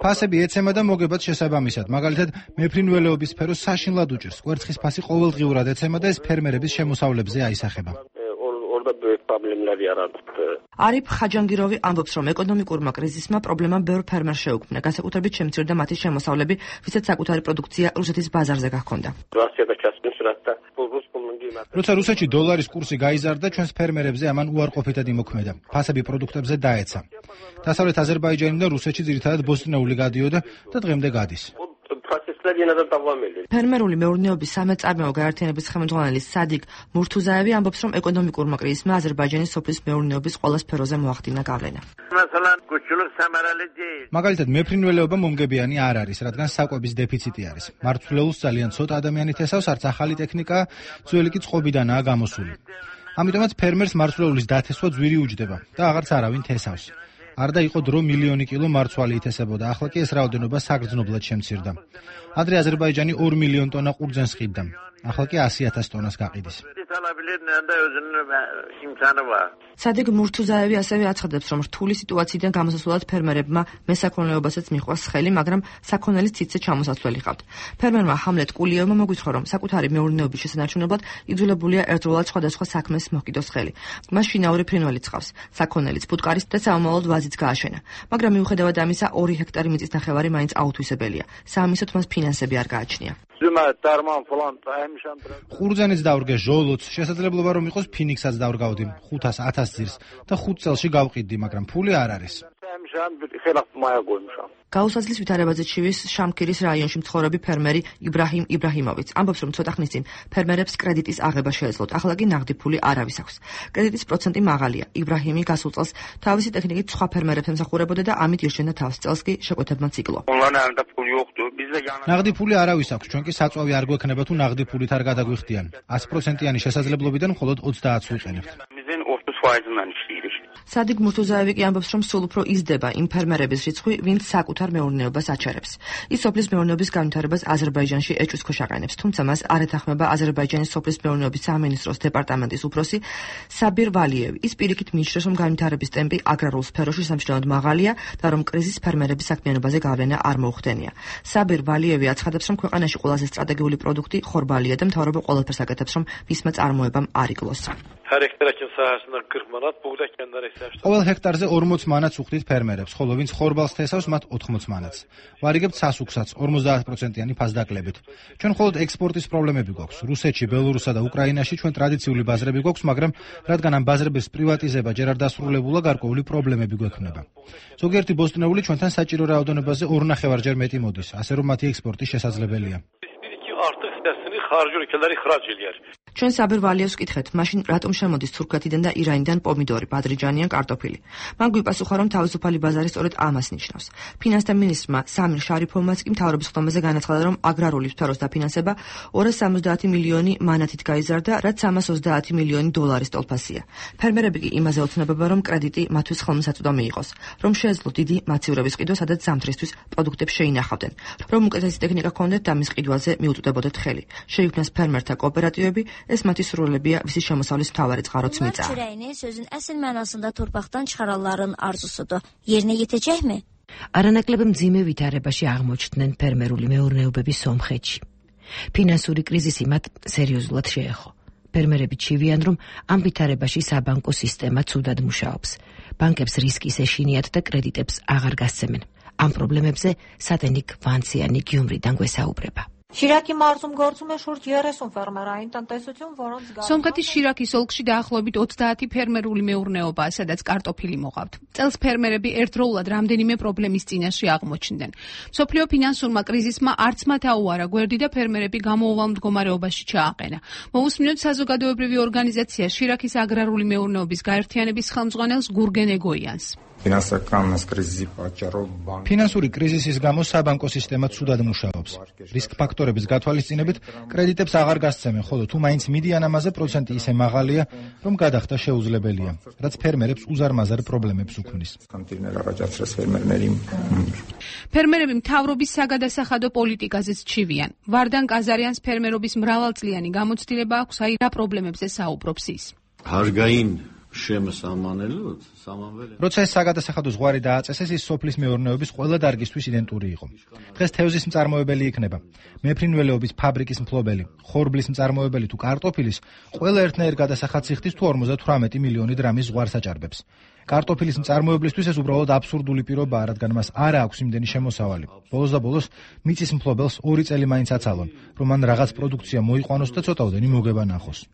ფასები ეცემა და მოგებად შესაბამისად, მაგალითად, მეფრინველეობის სფეროს საშინლად უჭირს. კვერცხის ფასი ყოველდღიურად ეცემა და ეს ფერმერების შემოსავლებზე აისახება. არიფ ხაჯანგიროვი ამბობს, რომ ეკონომიკურმა კრიზისმა პრობლემა ბევრ ფერმერს შეუქმნა, განსაკუთრებით შემცირდა მათი შემოსავლები, ვისაც საკუთარი პროდუქცია რუსეთის ბაზარზე გაჰქონდა. როცა რუსეთში დოლარის კურსი გაიზარდა, ჩვენს ფერმერებზე ამან უარყოფითად იმოქმედა. ფასები პროდუქტებზე დაეცა. დასავლეთ აზერბაიჯანიდან და რუსეთში ძირითადად ბოსტნეული გადიოდა და დღემდე გადის. ფერმერული მეურნეობის სამეწარმეო გაერთიანების ხელმძღვანელი სადიგ მურთუზაევი ამბობს, რომ ეკონომიკურმა კრიზისმა აზერბაიჯანის სოფლის მეურნეობის ყველა სფეროზე მოახდინა გავლენა. მაგალითად, მეფრინველეობა მომგებიანი არ არის, რადგან საკვების დეფიციტი არის. მარცვლეულს ძალიან ცოტა ადამიანი თესავს, არც ახალი ტექნიკა, ძველი კი წყობიდანაა გამოსული. ამიტომაც ფერმერს მარცვლეულის დათესვა ძვირი უჯდება და აღარც არავინ თესავს. არ და იყო დრო მილიონი კილო მარცვალი ითესებოდა, ახლა კი ეს რაოდენობა საგრძნობლად შემცირდა. ადრე აზერბაიჯანი ორ მილიონ ტონა ყურძენს ყიდდა, ახლა კი ასი ათას ტონას გაყიდის. სადიგ მურთუზაევი ასევე აცხადებს, რომ რთული სიტუაციიდან გამოსასვლელად ფერმერებმა მესაქონლეობასაც მიჰყვას ხელი, მაგრამ საქონელის ციცე ჩამოსაცვლელი ჰყავთ. ფერმერმა ჰამლეტ კულიევმა მოგვითხრა, რომ საკუთარი მეურნეობის შესანარჩუნებლად იძულებულია ერთდროულად სხვადასხვა საქმეს მოჰკიდოს ხელი. მას შინაური ფრინველიც ჰყავს, საქონელიც, ფუტკარის და საომავლოდ ვაზიც გააშენა. მაგრამ მიუხედავად ამისა, ორი ჰექტარი მიწის ნახევარი მაინც აუთვისებელია. საამისოდ მას ფინანსები არ გააჩნია. ყურძენიც დავრგე, ჟოლოც, შესაძლებლობა რომ იყოს ფინიქსაც დავრგავდი, ხუთას ათას ძირს და ხუთ წელში გავყიდდი, მაგრამ ფული არ არის. გაუსაძლის ვითარებაზე ჩივის შამქირის რაიონში მცხოვრები ფერმერი იბრაჰიმ იბრაჰიმოვიც ამბობს, რომ ცოტა ხნის წინ ფერმერებს კრედიტის აღება შეეძლოთ, ახლა კი ნაღდი ფული არავის აქვს. კრედიტის პროცენტი მაღალია. იბრაჰიმი გასულ წელს თავისი ტექნიკით სხვა ფერმერებს ემსახურებოდა და ამით ირჩენდა თავს, წელს კი შეკვეთებმაც იკლო. ნაღდი ფული არავის აქვს, ჩვენ კი საწვავი არ გვექნება თუ ნაღდი ფულით არ გადაგვიხდიან. ათი პროცენტიანი შესაძლებლობიდან მხოლოდ ოცდაათს ვიყენებთ. სადიგ მურთუზაევი კი ამბობს, რომ სულ უფრო იზრდება იმ ფერმერების რიცხვი, ვინც საკუთარ მეურნეობას აჩერებს. ის სოფლის მეურნეობის განვითარებას აზერბაიჯანში ეჭვს ქვეშ აყენებს, თუმცა მას არ ეთანხმება აზერბაიჯანის სოფლის მეურნეობის სამინისტროს დეპარტამენტის უფროსი საბირ ვალიევი. ის პირიქით მიიჩნევს, რომ განვითარების ტემპი აგრარულ სფეროში სამჩნევად მაღალია და რომ კრიზისს ფერმერების საქმიანობაზე გავლენა არ მოუხდენია. საბირ ვალიევი აცხადებს, რომ ქვეყანაში ყველაზე სტრატეგიული პროდუქტი ხორბალია და მთავრობა ყველაფერს აკეთებს, რომ მისმა წარმოებამ არ იკლოს. ყოველ ჰექტარზე ორმოც მანათს უხდით ფერმერებს, ხოლო ვინც ხორბალს თესავს, მათ ოთხმოც მანათს. ვარიგებთ სასუქსაც ორმოცდაათ პროცენტიანი ფასდაკლებით. ჩვენ მხოლოდ ექსპორტის პრობლემები გვაქვს. რუსეთში, ბელორუსსა და უკრაინაში ჩვენ ტრადიციული ბაზრები გვაქვს, მაგრამ რადგან ამ ბაზრების პრივატიზება ჯერ არ დასრულებულა, გარკვეული პრობლემები გვექნება. ზოგიერთი ბოსტნეული ჩვენთან საჭირო რაოდენობაზე ორნახევარჯერ მეტი მოდის, ასე რომ მათი ექსპორტი შესაძლებელია. ჩვენ საბირ ვალიევს ვკითხეთ, მაშინ რატომ შემოდის თურქეთიდან და ირანიდან პომიდორი, ბადრიჯანი ან კარტოფილი. მან გვიპასუხა, რომ თავისუფალი ბაზარი სწორედ ამას ნიშნავს. ფინანსთა მინისტრმა სამირ შარიფოვმაც კი მთავრობის ხდომაზე განაცხადა, რომ აგრარული სფეროს დაფინანსება ორას სამოცდაათი მილიონი მანათით გაიზარდა, რაც სამას ოცდაათი მილიონი დოლარის ტოლფასია. ფერმერები კი იმაზე ოცნებება, რომ კრედიტი მათთვის ხელმისაწვდომი იყოს, რომ შეეძლო დიდი მაცივრების ყიდვა, სადაც ზამთრისთვის პროდუქტებს შეინახავდნენ, რომ უკეთესი ტექნიკა ჰქონდეთ და მის ყიდვაზე მიუწვდებოდეთ ხელი. შეიქმნას ფერმერთა კოოპერატივები, ეს მათი სრულებია, ვისი შემოსავლის მთავარი წყაროც მიწაა. Çireğini sözün əsl mənasında torpaqdan çıxaranların arzusudur. Yerinə yetəcəkmi? არანაკლებ მძიმე ვითარებაში აღმოჩნდნენ ფერმერული მეურნეობები სომხეთში. ფინანსური კრიზისი მათ სერიოზულად შეეხო. ფერმერები ჩივიან, რომ ამ ვითარებაში საბანკო სისტემა ცუდად მუშაობს. ბანკებს რისკის ეშინიათ და კრედიტებს აღარ გასცემენ. ამ პრობლემებზე სატენიკ ვანციანი გიუმრიდან გვესაუბრება. Շիրակի մարզում գործում է շուրջ երեսուն ֆերմերային տնտեսություն, որոնց Սոմքաթի Շիրակի ոլքში დაახლოებით ოცდაათი ფერმერული მეურნეობაა, სადაც კარტოფილი მოყავთ. წელს ფერმერები ერთდროულად რამდენიმე პრობლემის წინაშე აღმოჩნდნენ. მსოფლიო ფინანსურმა კრიზისმა არც მათ აუარა გვერდი და ფერმერები გამოუვალ მდგომარეობაში ჩააყენა. მოусმინოთ საზოგადოებრივი ორგანიზაცია Შირაკის აგრარული მეურნეობის გაერთიანების ხელმძღვანელს გურგენ ეგოიანს. ფინანსური კრიზისის გამო საბანკო სისტემა ცუდად მუშაობს. რისკ ფაქტორების გათვალისწინებით კრედიტებს აღარ გასცემენ, ხოლო თუ მაინც მიდიან ამაზე პროცენტი ისე მაღალია, რომ გადახდა შეუძლებელია, რაც ფერმერებს უზარმაზარ პრობლემებს უქმნის. ფერმერები მთავრობის საგადასახადო პოლიტიკაზეც ჩივიან. ვარდან კაზარიანს ფერმერობის მრავალწლიანი გამოცდილება აქვს, აი რა პრობლემებზე საუბრობს ის. როცა ეს საგადასახადო ზღვარი დააწესეს, ის სოფლის მეურნეობის ყველა დარგისთვის იდენტური იყო. დღეს თევზის მწარმოებელი იქნება, მეფრინველეობის ფაბრიკის მფლობელი, ხორბლის მწარმოებელი თუ კარტოფილის, ყველა ერთნაირ გადასახადს იხდის თუ ორმოცდათვრამეტი მილიონი დრამის ზღვარს აჭარბებს. კარტოფილის მწარმოებლისთვის ეს უბრალოდ აბსურდული პირობაა, რადგან მას არ აქვს იმდენი შემოსავალი. ბოლოს და ბოლოს მიწის მფლობელს ორი წელი მაინც აცალონ, რომ მან რაღაც პროდუქცია მოიყვანოს და ცოტაოდენი მოგება ნახოს.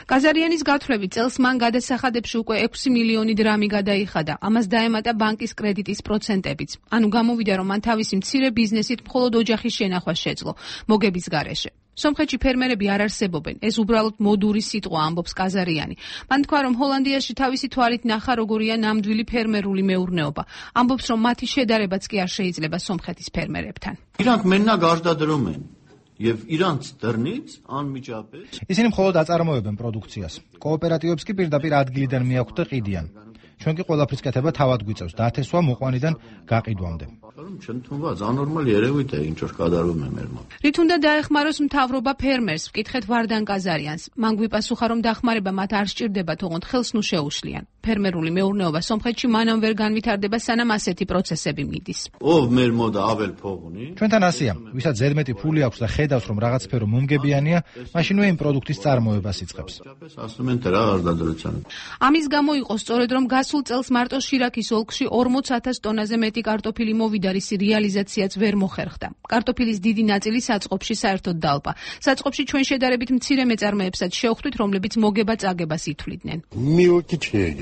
კაზარიანის გათვლებით წელს მან გადასახადებში უკვე ექვსი მილიონი დრამი გადაიხადა. ამას დაემატა ბანკის კრედიტის პროცენტებიც. ანუ გამოვიდა, რომ მან თავისი მცირე ბიზნესით მხოლოდ ოჯახის შენახვა შეძლო მოგების გარეშე. სომხეთში ფერმერები არ არსებობენ. ეს უბრალოდ მოდური სიტყვა, ამბობს კაზარიანი. მან თქვა, რომ ჰოლანდიაში თავისი თვალით ნახა, როგორია ნამდვილი ფერმერული მეურნეობა. ამბობს, რომ მათი შედარებაც კი არ შეიძლება სომხეთის ფერმერებთან. Իրանք մենակ արտադրում են եւ իրանց դռնից անմիջապես ისინი მხოლოდ აწარმოებენ პროდუქციას. კოოპერატივებს კი პირდაპირ ადგილიდან მიაქვთ და ყიდიან. ჩვენ კი ყველაფრის კეთება თავად გვიწევს, დათესვა მოყვანიდან გაყიდვამდე. Չընդունված աննորմալ երևույթ է, ինչ որ կատարվում է մեր մոտ. რით უნდა დაეხმაროს მთავრობა ფერმერს? ვკითხეთ ვარდან კაზარიანს. მან გვიპასუხა, რომ დახმარება მათ არ სჭირდება, თუმცა ხელს ნუ შეუშლიან. ფერმერული მეურნეობა სომხეთში მანამ ვერ განვითარდება, სანამ ასეთი პროცესები მიდის. ով մեր მոտ ավել փող ունի? ჩვენთან ასია, ვისაც ზედმეტი ფული აქვს და ხედავს, რომ რაღაც სფერო მომგებიანია, მაშინვე იმ პროდუქტის წარმოებას იწყებს. ասում են դրա արտադրության. ამის გამო იყო სწორედ, რომ გასულ წელს მარტო შირაკის ოლქში ორმოც ათას ტონაზე მეტი კარტოფილი მოვიდა, რისი რეალიზაციაც ვერ მოხერხდა. კარტოფილის დიდი ნაწილი საწყობში საერთოდ დალპა. საწყობში ჩვენ შედარებით მცირე მეწარმეებსაც შევხვდით, რომლებიც მოგება-წაგებას ითვლიდნენ.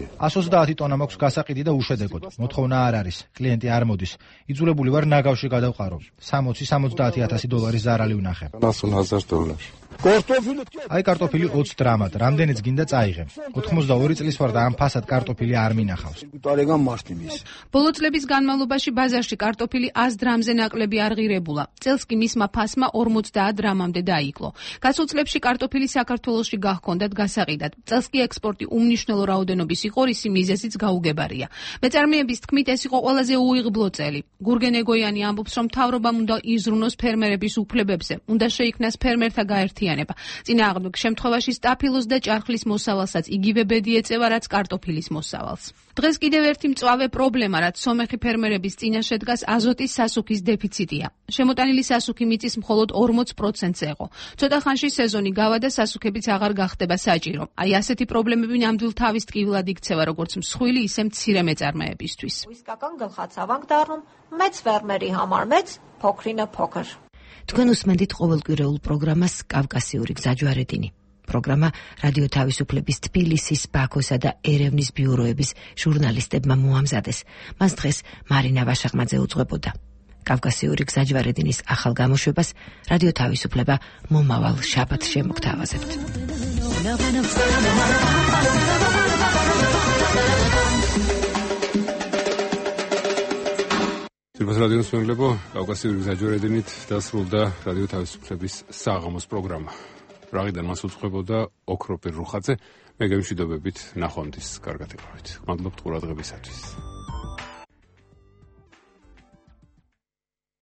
ას ოცდაათი ტონა მაქვს გასაყიდი და უშედეგოდ. მოთხოვნა არ არის, კლიენტი არ მოდის. იძულებული ვარ ნაგავში გადავყარო. სამოცი სამოცდაათი ათასი დოლარის ზარალი ვნახე. აი კარტოფილი ოცი დრამად, რამდენიც გინდა წაიღე. ოთხმოცდაორი წლის ვარ და ამ ფასად კარტოფილი არ მინახავს. ბოლო წლების განმავლობაში ბაზარში კარტოფილი ას დრამზე ნაკლები არ ღირებულა. წელს კი მისმა ფასმა ორმოცდაათ დრამამდე დაიკლო. გასულ წლებში კარტოფილი საქართველოში გაჰქონდათ გასაყიდად. წელს კი ექსპორტი უმნიშვნელო რაოდენობის იყო, რის მიზეზიც გაუგებარია. მეწარმეების თქმით, ეს იყო ყველაზე უიღბლო წელი. გურგენ ეგოიანი ამბობს, რომ მთავრობამ უნდა იზრუნოს ფერმერების უფლებებზე, უნდა შეიქმნას ფერმერთა გაერთიანება. წინააღმდეგ შემთხვევაში სტაფილოს და ჭარხლის მოსავალსაც იგივე ბედი ეწევა, რაც კარტოფილის მოსავალს. დღეს კიდევ ერთი მწვავე პრობლემა, რაც სომეხი ფერმერების წინაშე დგას, აზოტის სასუქის დეფიციტია. შემოტანილი სასუქი მიწის მხოლოდ ორმოც პროცენტზე იყო. ცოტა ხანში სეზონი გავა და სასუქებიც აღარ გახდება საჭირო. აი ასეთი პრობლემები ნამდვილ თავის ტკივილად იქცევა როგორც მსხვილი, ისე მცირე მეწარმეებისთვის. Իսկական գլխացավանք դառնում մեծ ֆերմերի համար, մեծ փոքրինը փոքր. Თქვენ უსმენთ ყოველკვირეულ პროგრამას კავკასიური გზაჯვარედინი. პროგრამა რადიო თავისუფლების თბილისის, ბაქოსა და ერევნის ბიუროების ჟურნალისტებმა მოამზადეს. მას დღეს მარინა ვაშაღმაძე უძღვებოდა. კავკასიური გზაჯვარედინის ახალ გამოშვებას რადიო თავისუფლება მომავალ შაბათს შემოგთავაზებთ. Sirpas radio მსმენელებო, კავკასიური გზაჯვარედინით დასრულდა რადიო თავისუფლების საღამოს პროგრამა. Რაღიდან მას უძღვებოდა ოქროპირ რუხაძე, მე გემშვიდობებით ნახვამდის კარგად იყავით. მადლობთ ყურადღებისათვის.